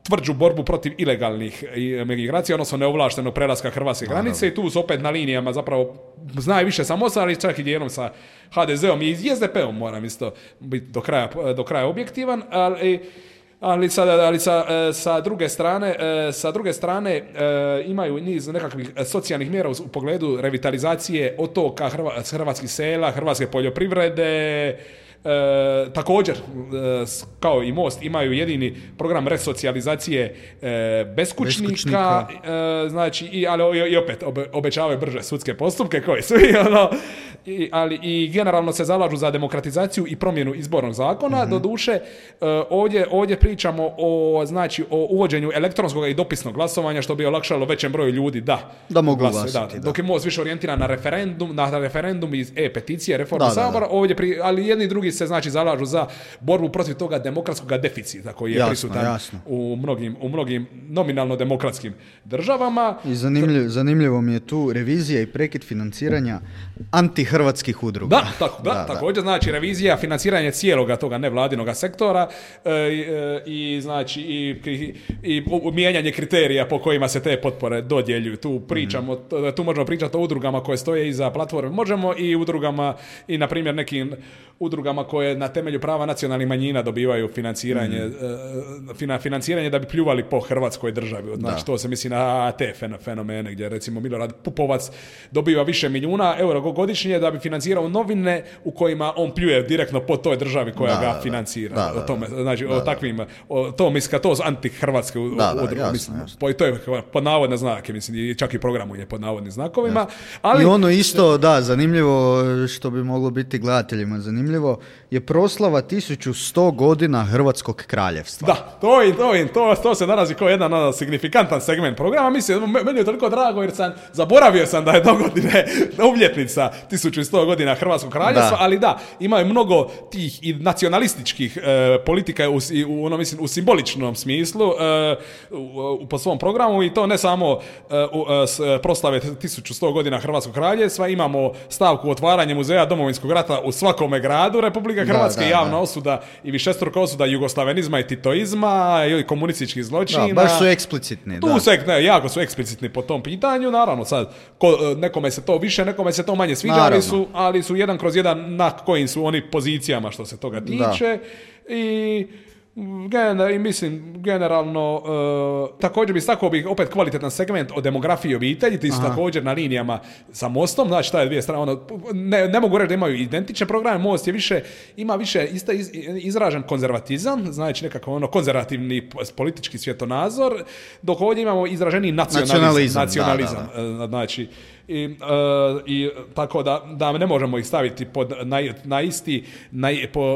tvrđu borbu protiv ilegalnih migracija, odnosno neovlaštenog prelaska hrvatske granice, i tu su opet na linijama zapravo znaju više sa Mostom, ali čak i dijelom sa HDZ-om i SDP-om, moram isto biti do kraja objektivan, ali sa druge strane imaju niz nekakvih socijalnih mjera u pogledu revitalizacije otoka, hrvatskih sela, hrvatske poljoprivrede. Također, kao i Most, imaju jedini program resocijalizacije beskućnika. Znači, ali opet obećavaju brže sudske postupke koji su ali i generalno se zalažu za demokratizaciju i promjenu izbornog zakona. Doduše, ovdje pričamo o uvođenju elektronskog i dopisnog glasovanja, što bi olakšalo većem broju ljudi da mogu glasati. Dok je Most više orijentiran na referendum i peticije, reforme Sabora, ovdje ali jedni i drugi se zalažu za borbu protiv toga demokratskog deficita koji je prisutan u mnogim nominalno demokratskim državama. I zanimljivo mi je tu revizija i prekid financiranja antihrvatskih udruga. Također, znači revizija, financiranje cijeloga toga nevladinog sektora i mijenjanje kriterija po kojima se te potpore dodjeljuju. Tu možemo pričati o udrugama koje stoje iza platforme Možemo i udrugama i na primjer nekim udrugama koje na temelju prava nacionalnih manjina dobivaju financiranje da bi pljuvali po Hrvatskoj državi. Znači, to se misli na te fenomene gdje recimo Milorad Pupovac dobiva više milijuna eura godišnje da bi financirao novine u kojima on pljuje direktno po toj državi koja ga financira. To su anti-hrvatske udruge. To je pod navodne znake, mislim, čak i programu je pod navodnim znakovima. Ali, i ono isto, zanimljivo, što bi moglo biti gledateljima zanimljivo, je proslava 1100 godina Hrvatskog kraljevstva. Da, to se nalazi kao jedan signifikantan segment programa. Mislim, meni je toliko drago jer zaboravio sam da je dogodine obljetnica 1100 godina Hrvatskog kraljevstva, ali imaju mnogo tih i nacionalističkih politika u simboličnom smislu po svom programu, i to ne samo proslave 1100 godina Hrvatskog kraljevstva. Imamo stavku otvaranje muzeja Domovinskog rata u svakome gradu Republike Hrvatske, javna osuda i višestruka osuda jugoslavenizma i titoizma i komunističkih zločina. Baš su eksplicitni. Jako su eksplicitni po tom pitanju. Naravno, sad, nekome se to više, nekome se to manje sviđa, ali su jedan kroz jedan na kojim su oni pozicijama što se toga tiče. I mislim, generalno, također bi istakao opet kvalitetan segment o demografiji i obitelji, ti su također na linijama sa Mostom, znači ta je dvije strane, ne mogu reći da imaju identične programe. Most ima više izražen konzervatizam, znači nekako konzervativni politički svjetonazor, dok ovdje imamo izraženi nacionalizam. Znači, i tako da ne možemo ih staviti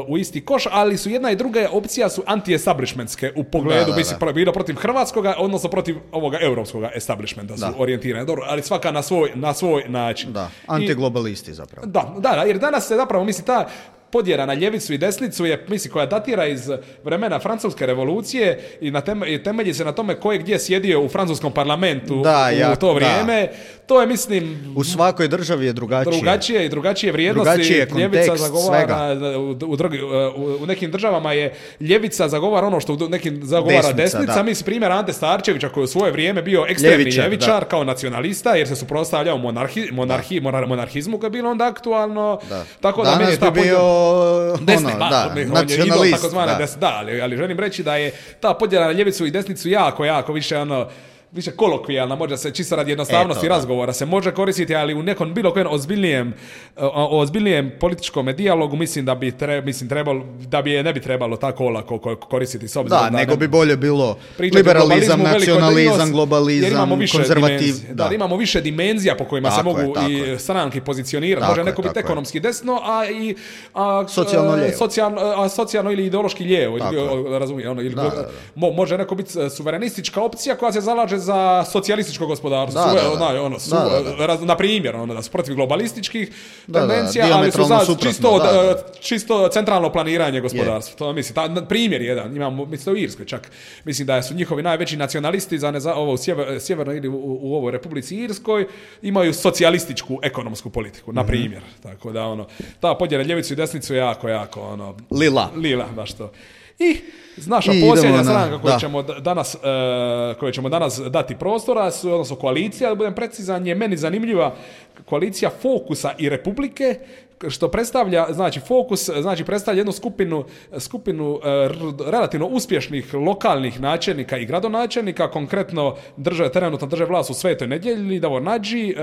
u isti koš, ali su jedna i druga opcija su anti-establishmentske u pogledu bilo protiv hrvatskoga, odnosno protiv ovoga europskoga establishmenta su orijentirane. Dobro, ali svaka na svoj način. Antiglobalisti zapravo. Jer danas se zapravo misli ta podjela na ljevicu i desnicu je, koja datira iz vremena Francuske revolucije i temelji se na tome ko je gdje sjedio u francuskom parlamentu u to vrijeme. To je, mislim... U svakoj državi je drugačije. Drugačije vrijednosti. Drugačije kontekst svega. U nekim državama je ljevica zagovara ono što u nekim zagovara desnica. Mislim, primjer Ante Starčevića koji u svoje vrijeme bio ekstremni ljevičar kao nacionalista, jer se suprotstavljao monarhizmu koji je bilo onda aktualno. Tako da danas bi bio nacionalist. Ali želim reći da je ta podjela na ljevicu i desnicu jako više više kolokvijalna, može se čisto radi jednostavnosti razgovora se može koristiti, ali u nekom bilo kojem ozbiljnijem političkom dijalogu mislim da bi trebalo, da bi je ne bi trebalo tako olako koristiti s obzirom da nego bi bolje bilo liberalizam, nacionalizam, globalizam, konzervativ. Imamo više dimenzija po kojima se mogu i stranke pozicionirati. Može neko biti ekonomski desno, a socijalno ili ideološki lijevo, razumije, može neko biti suverenistička opcija koja se zalaže za socijalističko gospodarstvo. Na primjer, da su protiv globalističkih tendencija, ali su za čisto centralno planiranje gospodarstva. To mislim, primjer jedan, imamo mislim u Irskoj čak. Mislim da su njihovi najveći nacionalisti za ovo u sjevernoj ili u ovoj Republici Irskoj imaju socijalističku ekonomsku politiku, na primjer. Tako da ta podjela ljevicu i desnicu jako lila, baš to. I naša posljednja stranka koju ćemo danas dati prostora, odnosno koalicija, da budem precizan, je meni zanimljiva koalicija Fokusa i Republike, što predstavlja, znači Fokus, znači predstavlja jednu skupinu relativno uspješnih lokalnih načelnika i gradonačelnika, konkretno trenutno drže vlast u Svetoj Nedjelji, Davor Nađi,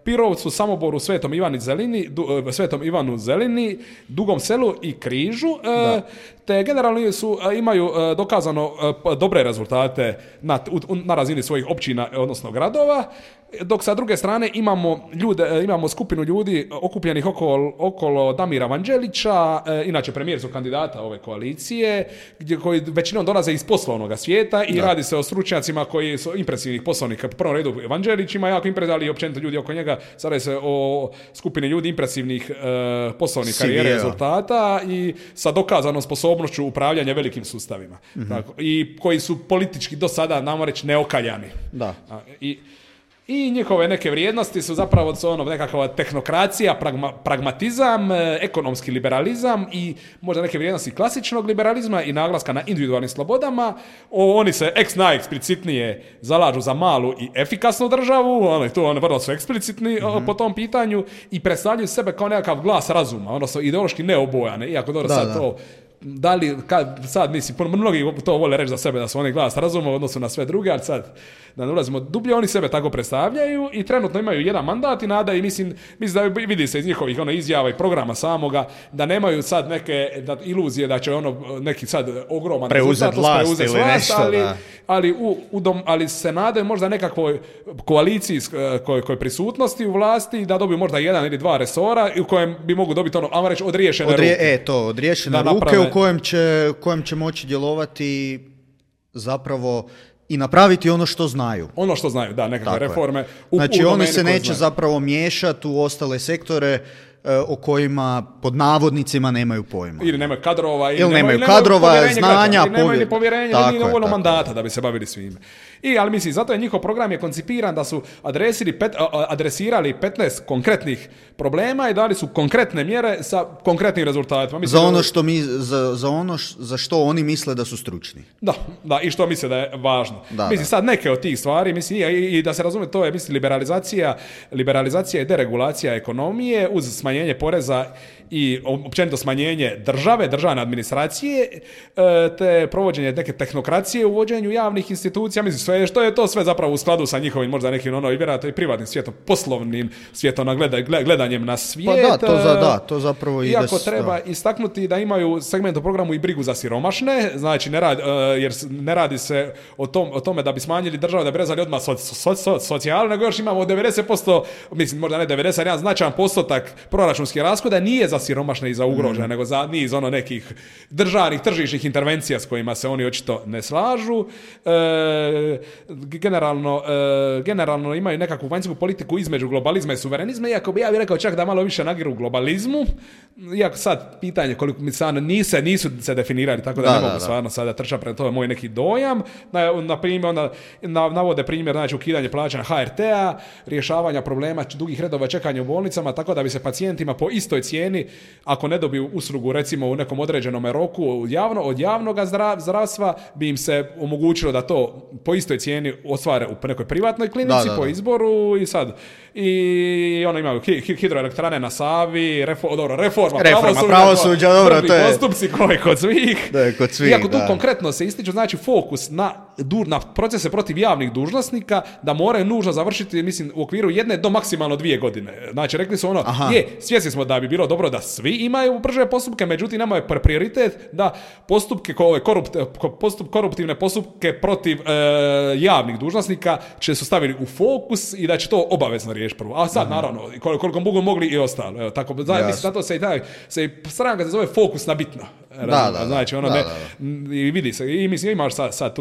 Pirovcu, Samoboru, Svetom Ivanu Zelini, Dugom Selu i Križu, te generalno imaju dokazano dobre rezultate na razini svojih općina, odnosno gradova, dok sa druge strane imamo skupinu ljudi okupljenih okolo Damira Vanđelića, inače premijer su kandidata ove koalicije, koji većinom dolaze iz poslovnog svijeta i radi se o stručnjacima koji su impresivnih poslovnika. Po prvom redu Vanđelić ima jako impresivnih, ali i općenito ljudi oko njega. Sada se o skupini ljudi impresivnih poslovnih karijere, rezultata i sa dokazanom sposobnošću upravljanja velikim sustavima. Tako, i koji su politički do sada, namo reći, neokaljani. I njihove neke vrijednosti su zapravo nekakva tehnokracija, pragmatizam, ekonomski liberalizam i možda neke vrijednosti klasičnog liberalizma i naglaska na individualnim slobodama. Oni se najeksplicitnije zalažu za malu i efikasnu državu, oni vrlo su eksplicitni po tom pitanju i predstavljaju sebe kao nekakav glas razuma, odnosno ideološki neobojane, iako dobro sad to... Da li, sad mislim, mnogi to vole reći za sebe da su oni glas razuma u odnosu na sve druge, ali sad da ne ulazimo dublje, oni sebe tako predstavljaju i trenutno imaju jedan mandat i nada i mislim da vidi se iz njihovih izjava i programa samoga da nemaju sad neke iluzije da će neki sad ogroman preuzeti vlast ili nešto, ali se nadaju možda nekakvoj koaliciji kojoj prisutnosti u vlasti da dobiju možda jedan ili dva resora u kojem bi mogu dobiti ajmo reći odriješene ruke. Odriješene ruke u kojem će moći djelovati zapravo i napraviti ono što znaju. Ono što znaju, da, nekakve reforme. Znači oni se neće zapravo miješati u ostale sektore o kojima pod navodnicima nemaju pojma. Ili nemaju kadrova, ili nemaju kadrova, znanja, nemaju ni povjerenja, ili dovoljno mandata da bi se bavili svime. Ali mislim, zato je njihov program je koncipiran da su adresirali 15 konkretnih problema i dali su konkretne mjere sa konkretnim rezultatima. Mislim, za ono za što oni misle da su stručni. Da, i što misle da je važno. Sad neke od tih stvari, mislim, i da se razumije, to je mislim liberalizacija i deregulacija ekonomije uz smanjenje poreza i općenito smanjenje državne administracije, te provođenje neke tehnokracije u vođenju javnih institucija, mislim, što je to sve zapravo u skladu sa njihovim možda nekim i vjerojatno i privatnim svijetom, poslovnim svijetom, gledanjem na svijet. To zapravo ide. Iako treba istaknuti da imaju segment u programu i brigu za siromašne, znači jer ne radi se o tome da bi smanjili državu, da bi rezali odmah socijalu, nego još imamo 90%, mislim možda ne 90%, jedan značajan postotak proračunskih rashoda nije za siromašne i za ugrožene, nego za niz nekih državnih tržišnih intervencija s kojima se oni očito ne slažu. Generalno imaju nekakvu vanjsku politiku između globalizma i suverenizma, iako bi ja bih rekao čak da malo više nagiru globalizmu, iako sad pitanje koliko mi sad nisu se definirali, tako da ne mogu stvarno sada trčati pred to je moj neki dojam. Na primjer, navode primjer, znači ukidanje plaćanja HRT-a, rješavanja problema dugih redova čekanja u bolnicama, tako da bi se pacijentima po istoj cijeni, ako ne dobiju uslugu recimo u nekom određenom roku od javnog zdravstva, bi im se omogućilo da to po istoj cijeni ostvare u nekoj privatnoj klinici po izboru i imaju hidroelektrane na Savi, reforma pravosuđa, to je postupci koji kod svih. Iako tu konkretno se ističu, znači fokus na na procese protiv javnih dužnosnika da moraju nužno završiti, mislim, u okviru 1 do maksimalno 2 godine. Znači, rekli su ono, svjesni smo da bi bilo dobro da svi imaju brže postupke, međutim, nama je prioritet da postupke, koruptivne postupke protiv javnih dužnosnika će su stavili u fokus i da će to obavezno riješiti prvo. A sad, naravno, koliko mogu mogli i ostalo. Evo, tako, mislim, zato se i stranka se zove fokus na bitno. Znači, i vidi se, i mislim, imaš sad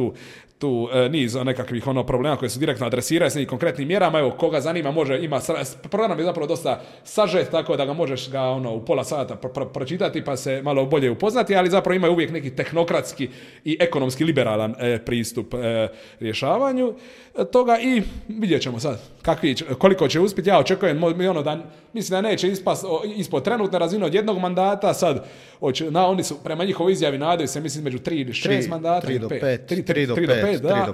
tu niz nekakvih problema koje su direktno adresiraju s nekim konkretnim mjerama. Evo, koga zanima, program je zapravo dosta sažet, tako da ga možeš ga u pola sata pročitati pa se malo bolje upoznati, ali zapravo ima uvijek neki tehnokratski i ekonomski liberalan pristup rješavanju toga i vidjet ćemo sad koliko će uspjeti. Ja očekujem mislim da neće ispod trenutne razine od jednog mandata, sad oni su prema njihovoj izjavi nadaju se, mislim, među 3 ili 6 mandata, 3 do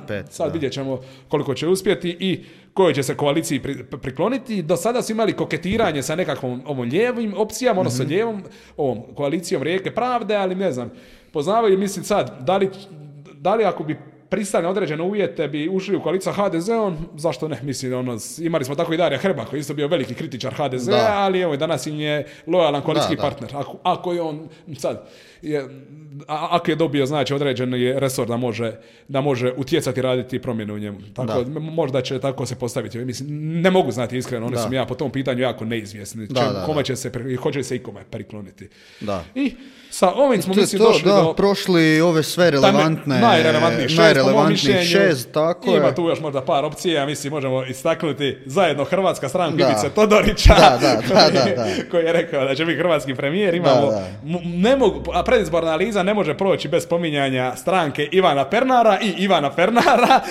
5. Sad vidjet ćemo koliko će uspjeti i kojoj će se koaliciji prikloniti. Do sada su imali koketiranje sa nekakvom ovom lijevim opcijama, odnosno lijevom ovom koalicijom Rijeke pravde, ali ne znam, poznavaju, mislim sad, da li ako bi pristali na određene uvjete bi ušli u koaliciju sa HDZ-om, zašto ne? Mislim, imali smo tako i Darija Hrba, koji je isto bio veliki kritičar HDZ-a, ali evo, danas im je lojalan koalicijski partner. Ako je on sad, ako je dobio, znači, određeni resor da može utjecati, raditi promjene u njemu. Tako, možda će tako se postaviti. Mislim, ne mogu znati iskreno, oni su mi po tom pitanju jako neizvjesni. Kome će se, hoće li se ikome prikloniti. I sa ovim smo, mislim, došli do... prošli ove sve relevantne... Najrelevantnijih 6, tako je. Ima tu još možda par opcija, mislim, možemo istaknuti zajedno Hrvatska stranka Ivice Todorića, koji je rekao da će biti hrvatski premijer. Imamo, a predizborna analiza ne može proći bez spominjanja stranke Ivana Pernara i Ivana Pernara.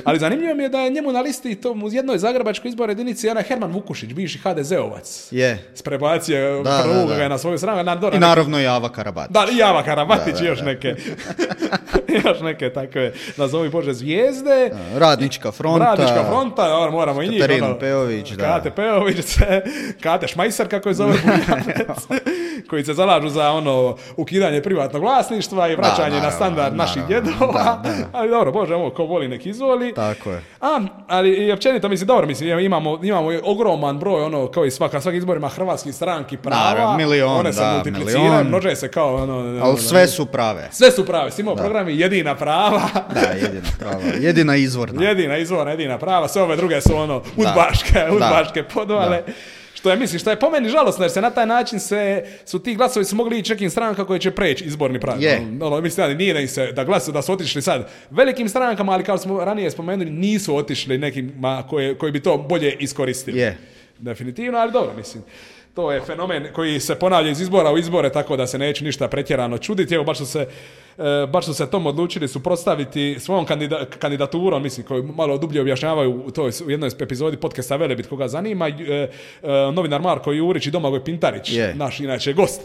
Ali zanimljivo mi je da je njemu na listi u jednoj zagrebačkoj izbornoj jedinici Herman Vukušić, bivši HDZ-ovac. Sprebacio prvoga na svoju stranu. I naravno Java Karabatić. I Java Karabatić i još neke takve, nazovi Bože, zvijezde. Radnička fronta, moramo i njih. Katarina Peović, Kate Peović, Kate Šmajser, kako je zove Bunjavec, koji se zalažu za ukidanje privatnog vlasništva i vraćanje na standard naših djedova. Ali dobro, Bože, ko voli nek izvoli. Tako je. Ali i općenito, mislim, dobro, mislim, imamo ogroman broj, kao i svaki izborima hrvatskih stranki prava. Milion, se multipliciraju, množe se kao... ali sve su prave. Sve su prave. Svi imamo programi jedina prava. Jedina prava. Jedina izvorna. Jedina prava. Sve ove druge su udbaške podvale. Što je po meni žalosno, jer se na taj način su ti glasovi su mogli ići nekim strankama koje će preći izborni prag. Mislim, nije da im se, da su otišli sad velikim strankama, ali kao smo ranije spomenuli, nisu otišli nekima koji bi to bolje iskoristili. Definitivno, ali dobro, mislim. To je fenomen koji se ponavlja iz izbora u izbore, tako da se neće ništa pretjerano čuditi. Evo, baš su se tom odlučili suprotstaviti svojom kandidaturom, mislim, koju malo dublje objašnjavaju u jednoj epizodi podcasta Velebit, koga zanima, novinar Marko Jurić i Domagoj Pintarić, naš inače gost,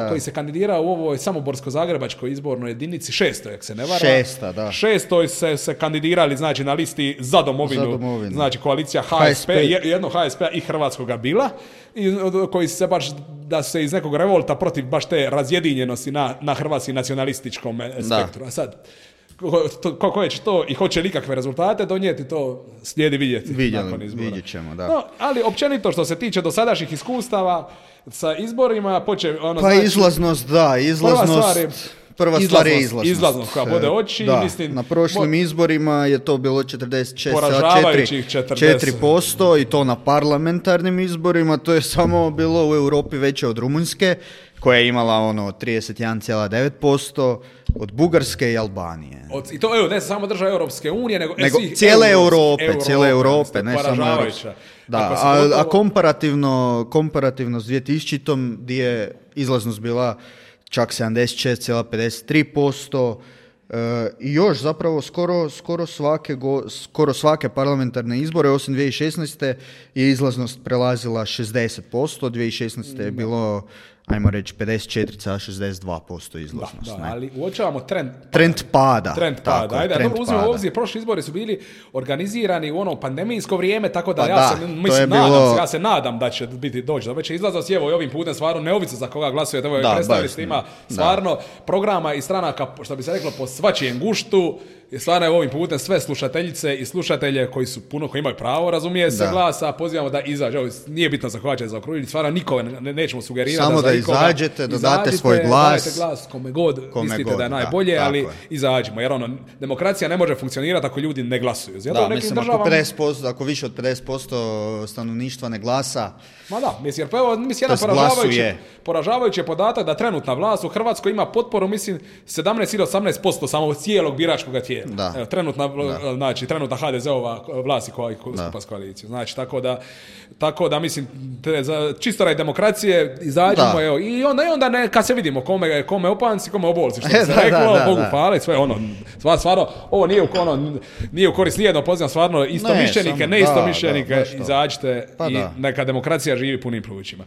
koji se kandidirao u ovoj samoborsko-zagrebačkoj izbornoj jedinici, 6. jak se ne vara. 6. se kandidirali, znači, na listi za domovinu. Znači, koalicija HSP, jedno HSP-a i Hrvatskoga bila, koji se baš, da se iz nekog revolta protiv baš te razjedinjenosti na hrvatskim nacionalističkom spektru. A sad, koje će to i hoće li kakve rezultate donijeti, to slijedi vidjeti nakon izbora. Vidjet ćemo, da. No, ali općenito što se tiče dosadašnjih iskustava sa izborima, izlaznost. Prva stvar je izlaznost. Izlaznost koja bode oči. Mislim, na prošlim izborima je to bilo 46,4% i to na parlamentarnim izborima. To je samo bilo u Europi veće od Rumunjske, koja je imala 31,9%, od Bugarske i Albanije. I to ne samo država Europske unije, nego cijele Europe, ne samo Europske. A komparativno s 2000-tom, gdje je izlaznost bila čak 76,53%, i još zapravo skoro svake parlamentarne izbore, osim 2016. je izlaznost prelazila 60%, 2016. je bilo ajmo reći 54,62% izlaznost. Da, ali uočavamo trend pada. Ajde, dobro, uzmemo u obzir, prošli izbori su bili organizirani u ono pandemijsko vrijeme, tako da ja se nadam da će biti doći. Da već je izlaznost, evo i ovim putem stvarno neovisno za koga glasujete, evo predstavili ste ima stvarno programa i stranaka, što bi se reklo, po svačijem guštu. I stvarno je ovim putem sve slušateljice i slušatelje koji imaju pravo, razumije se, glasa, pozivamo da izađe. Ovo nije bitno za koga će zaokružiti, stvarno nikoga nećemo sugerirati. Samo da izađete, dodate svoj glas. Dajte glas kome god mislite da je najbolje, ali izađimo. Jer demokracija ne može funkcionirati ako ljudi ne glasuju. Da, mislim, ako više od 50% stanovništva ne glasa, ma da, mislim, jedan poražavajući je podatak da trenutna vlast u Hrvatskoj ima potporu, mislim, 17 ili 18% samo cijelog biračkog tijela. Evo, trenutna HDZ-ova vlast koja skupa s koalicijom. Znači, tako da mislim, čisto radi demokracije, izađemo, evo, i onda kad se vidimo kome opanci, kome obolci, što se reklo, Bogu hvala i sve stvarno, ovo nije u korist nijedno, pozivam stvarno istomišljenike, neistomišljenike, izađite i neka demokracija živi punim plućima.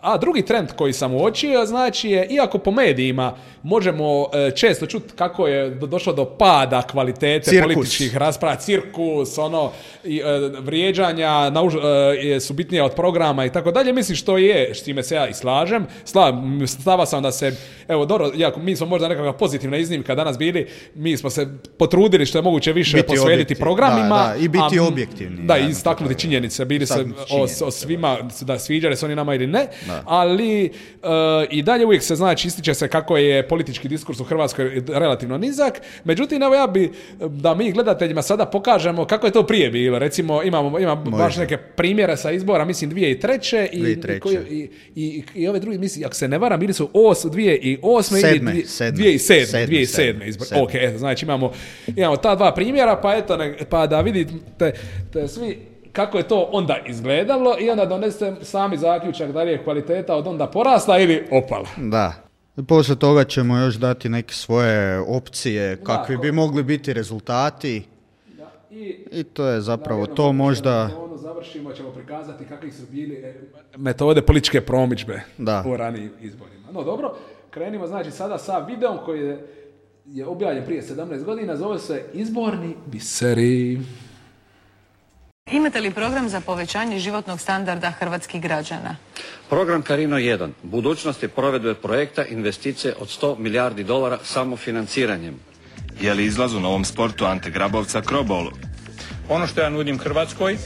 A drugi trend koji sam uočio, znači je, iako po medijima možemo često čuti kako je došlo do pada kvalitete političkih rasprava, cirkus, vrijeđanja su bitnije od programa i tako dalje, mislim što je, s time se ja i slažem. Stava sam da se, evo, dobro, mi smo možda nekakva pozitivna iznimka danas bili, mi smo se potrudili što je moguće više posvetiti programima. I biti objektivni. Da, i istaknuti činjenice, bili se o svima, da sviđali se oni nama ili ne, ali i dalje uvijek se ističe se kako je politički diskurs u Hrvatskoj relativno nizak. Međutim, evo ja bi da mi gledateljima sada pokažemo kako je to prije bilo. Recimo, imamo baš neke primjere sa izbora, mislim 2003. I ove drugi, mislim, ako se ne varam, bili su 2008. ili 2007. izbor. Ok, znači imamo ta dva primjera, pa da vidite svi kako je to onda izgledalo i onda donesete sami zaključak da li je kvaliteta od onda porasla ili opala. Da. Poslije toga ćemo još dati neke svoje opcije, kakvi bi mogli biti rezultati. I to je zapravo to možda... Završimo, ćemo prikazati kakvi su bili metode političke promidžbe u ranijim izborima. No dobro, krenimo znači sada sa videom koji je objavljen prije 17 godina, zove se Izborni biseri. Imate li program za povećanje životnog standarda hrvatskih građana? Program Carino 1. Budućnost je provedbe projekta investicije od $100 milijardi samofinanciranjem. Je li izlaz u novom sportu Ante Grabovca Krobolu? Ono što ja nudim Hrvatskoj,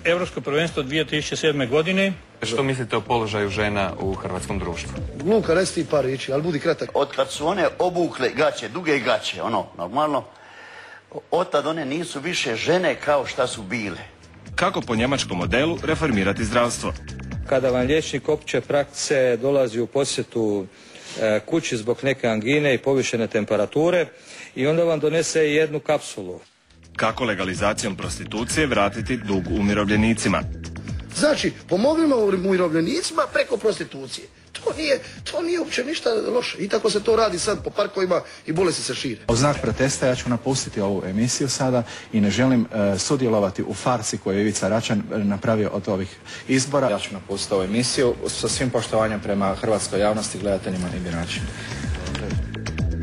Europsko prvenstvo 2007. godine. Što mislite o položaju žena u hrvatskom društvu? Luka, resti par riječi, ali budi kratak. Od kad su one obukle gaće, duge gaće, normalno, otad one nisu više žene kao šta su bile. Kako po njemačkom modelu reformirati zdravstvo? Kada vam liječnik opće prakse dolazi u posjetu kući zbog neke angine i povišene temperature i onda vam donese jednu kapsulu. Kako legalizacijom prostitucije vratiti dug umirovljenicima? Znači, pomognimo umirovljenicima preko prostitucije. To nije uopće ništa loše. I tako se to radi sad po parkovima i bolesti se šire. U znak protesta ja ću napustiti ovu emisiju sada i ne želim sudjelovati u farsi koju je Ivica Račan napravio od ovih izbora. Ja ću napustiti ovu emisiju sa svim poštovanjem prema hrvatskoj javnosti, gledateljima i biračima.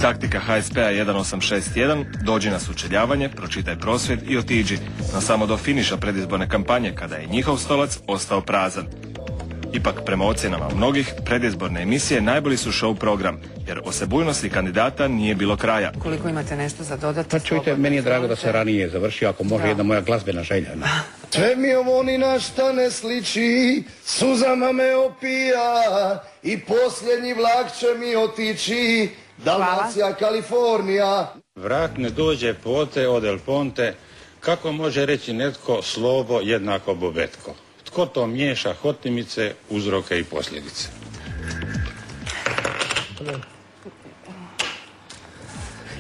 Taktika HSP-a 1861, dođi na sučeljavanje, pročitaj prosvjed i otiđi, no samo do finiša predizborne kampanje kada je njihov stolac ostao prazan. Ipak, prema ocjenama mnogih, predizborne emisije najbolji su show program, jer osebujnosti kandidata nije bilo kraja. Koliko imate nešto za dodati? Pa čujte, meni je drago da se ranije završio, ako može jedna moja glazbena želja. Sve mi ovo ni na šta ne sliči, suzama me opija i posljednji vlak će mi otići, Dalmacija, Kalifornija. Vrak ne dođe pote od El Ponte, kako može reći netko slovo jednako bubetko? Tko to miješa hotimice, uzroke i posljedice?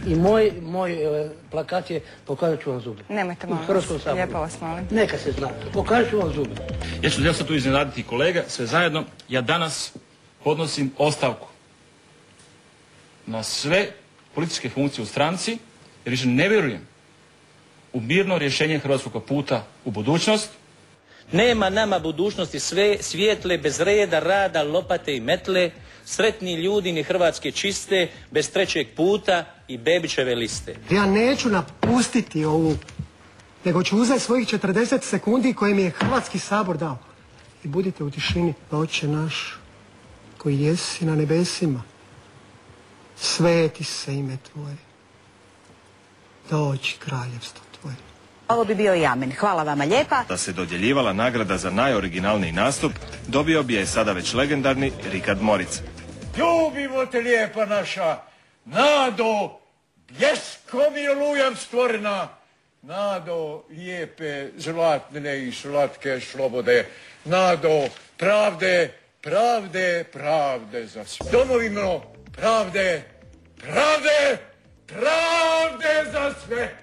I moj plakat je pokazat ću vam zube. Nemojte malo, lijepo vas molim. Neka se zna, pokazat ću vam zube. Ja ću tu iznenaditi kolega, sve zajedno. Ja danas podnosim ostavku na sve političke funkcije u stranci, jer više ne vjerujem u mirno rješenje hrvatskog puta u budućnost. Nema nama budućnosti sve svijetle bez reda, rada, lopate i metle, sretni ljudi ni Hrvatske čiste, bez trećeg puta i Bebićeve liste. Ja neću napustiti ovu, nego ću uzeti svojih 40 sekundi koje mi je Hrvatski sabor dao. I budite u tišini, Oče naš, koji jesi na nebesima, sveti se ime Tvoje, dođi kraljevstvo Tvoje. Ovo bi bio i amen. Hvala vama lijepa. Da se dodjeljivala nagrada za najoriginalniji nastup, dobio bi je sada već legendarni Rikard Moric. Ljubimo te, lijepa naša, Nado, bljeskom i olujam stvorena, Nado, lijepe, zlatne i slatke slobode, Nado, pravde, pravde, pravde za sve. Domovino, pravde, pravde, pravde za sve.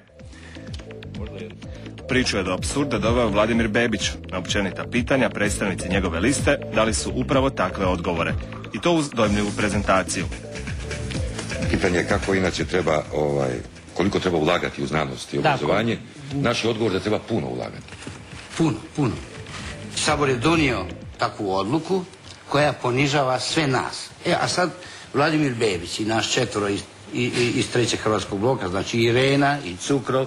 Priču je do apsurda doveo Vladimir Bebić. Na općenita pitanja predstavnici njegove liste dali su upravo takve odgovore. I to uz dojmljivu prezentaciju. Pitanje je kako inače treba, koliko treba ulagati u znanost i obrazovanje. Naš je odgovor da treba puno ulagati. Puno. Sabor je donio takvu odluku koja ponižava sve nas. A sad Vladimir Bebić i naš četvoro iz trećeg hrvatskog bloka, znači Irena i Cukrov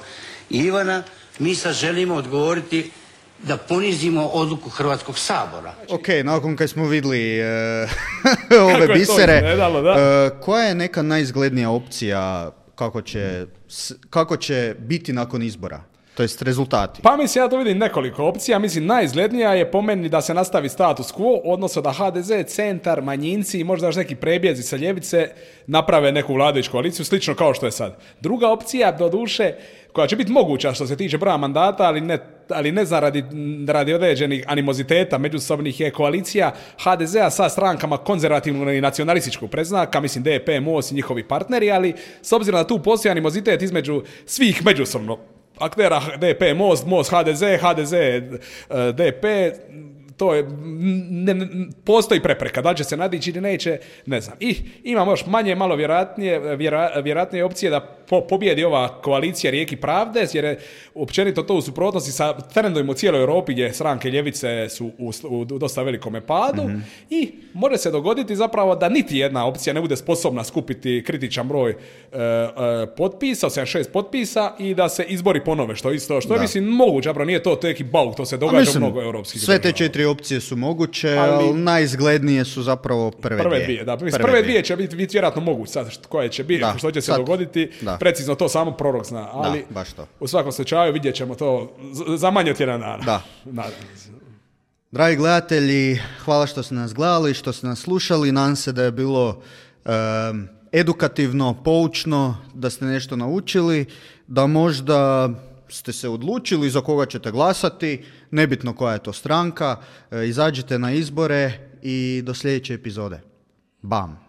i Ivana, mi sad želimo odgovoriti da ponizimo odluku Hrvatskog sabora. Ok, nakon kad smo vidjeli ove bisere, koja je neka najizglednija opcija kako će biti nakon izbora? To jest rezultati. Pa mislim, ja to vidim nekoliko opcija. Mislim, najizglednija je po meni da se nastavi status quo, odnosno da HDZ, Centar, manjinci i možda još neki prebjezi sa ljevice naprave neku vladajuću koaliciju, slično kao što je sad. Druga opcija, doduše, koja će biti moguća što se tiče broja mandata, ali ne zna radi određenih animoziteta međusobnih, je koalicija HDZ-a sa strankama konzervativnog i nacionalističkog predznaka, mislim DP, MOST i njihovi partneri, ali s obzirom da tu postoji animozitet između svih međusobno aktera, DP, MOST, HDZ, DP, to je, postoji prepreka, da li će se nadići ili neće, ne znam. I imamo još manje, malo vjerojatnije opcije da pobjedi ova koalicija Rijeki pravde, jer je općenito to u suprotnosti sa trendovima u cijeloj Europi gdje stranke ljevice su u dosta velikome padu i može se dogoditi zapravo da niti jedna opcija ne bude sposobna skupiti kritičan broj potpisa, 76 potpisa i da se izbori ponove, što je mislim moguće, zapravo nije to neki bauk, to se događa u mnogo europskih sve te 4 opcije su moguće, ali najizglednije su zapravo prve dvije. Prve dvije će biti vjerojatno moguće, sad koje će biti, što će se dogoditi, precizno to samo prorok zna, ali baš to. U svakom slučaju vidjet ćemo to za manje od tjedan dana. Dragi gledatelji, hvala što ste nas gledali, što ste nas slušali, nadam se da je bilo edukativno, poučno, da ste nešto naučili, da možda ste se odlučili za koga ćete glasati, nebitno koja je to stranka, izađite na izbore i do sljedeće epizode. Bam!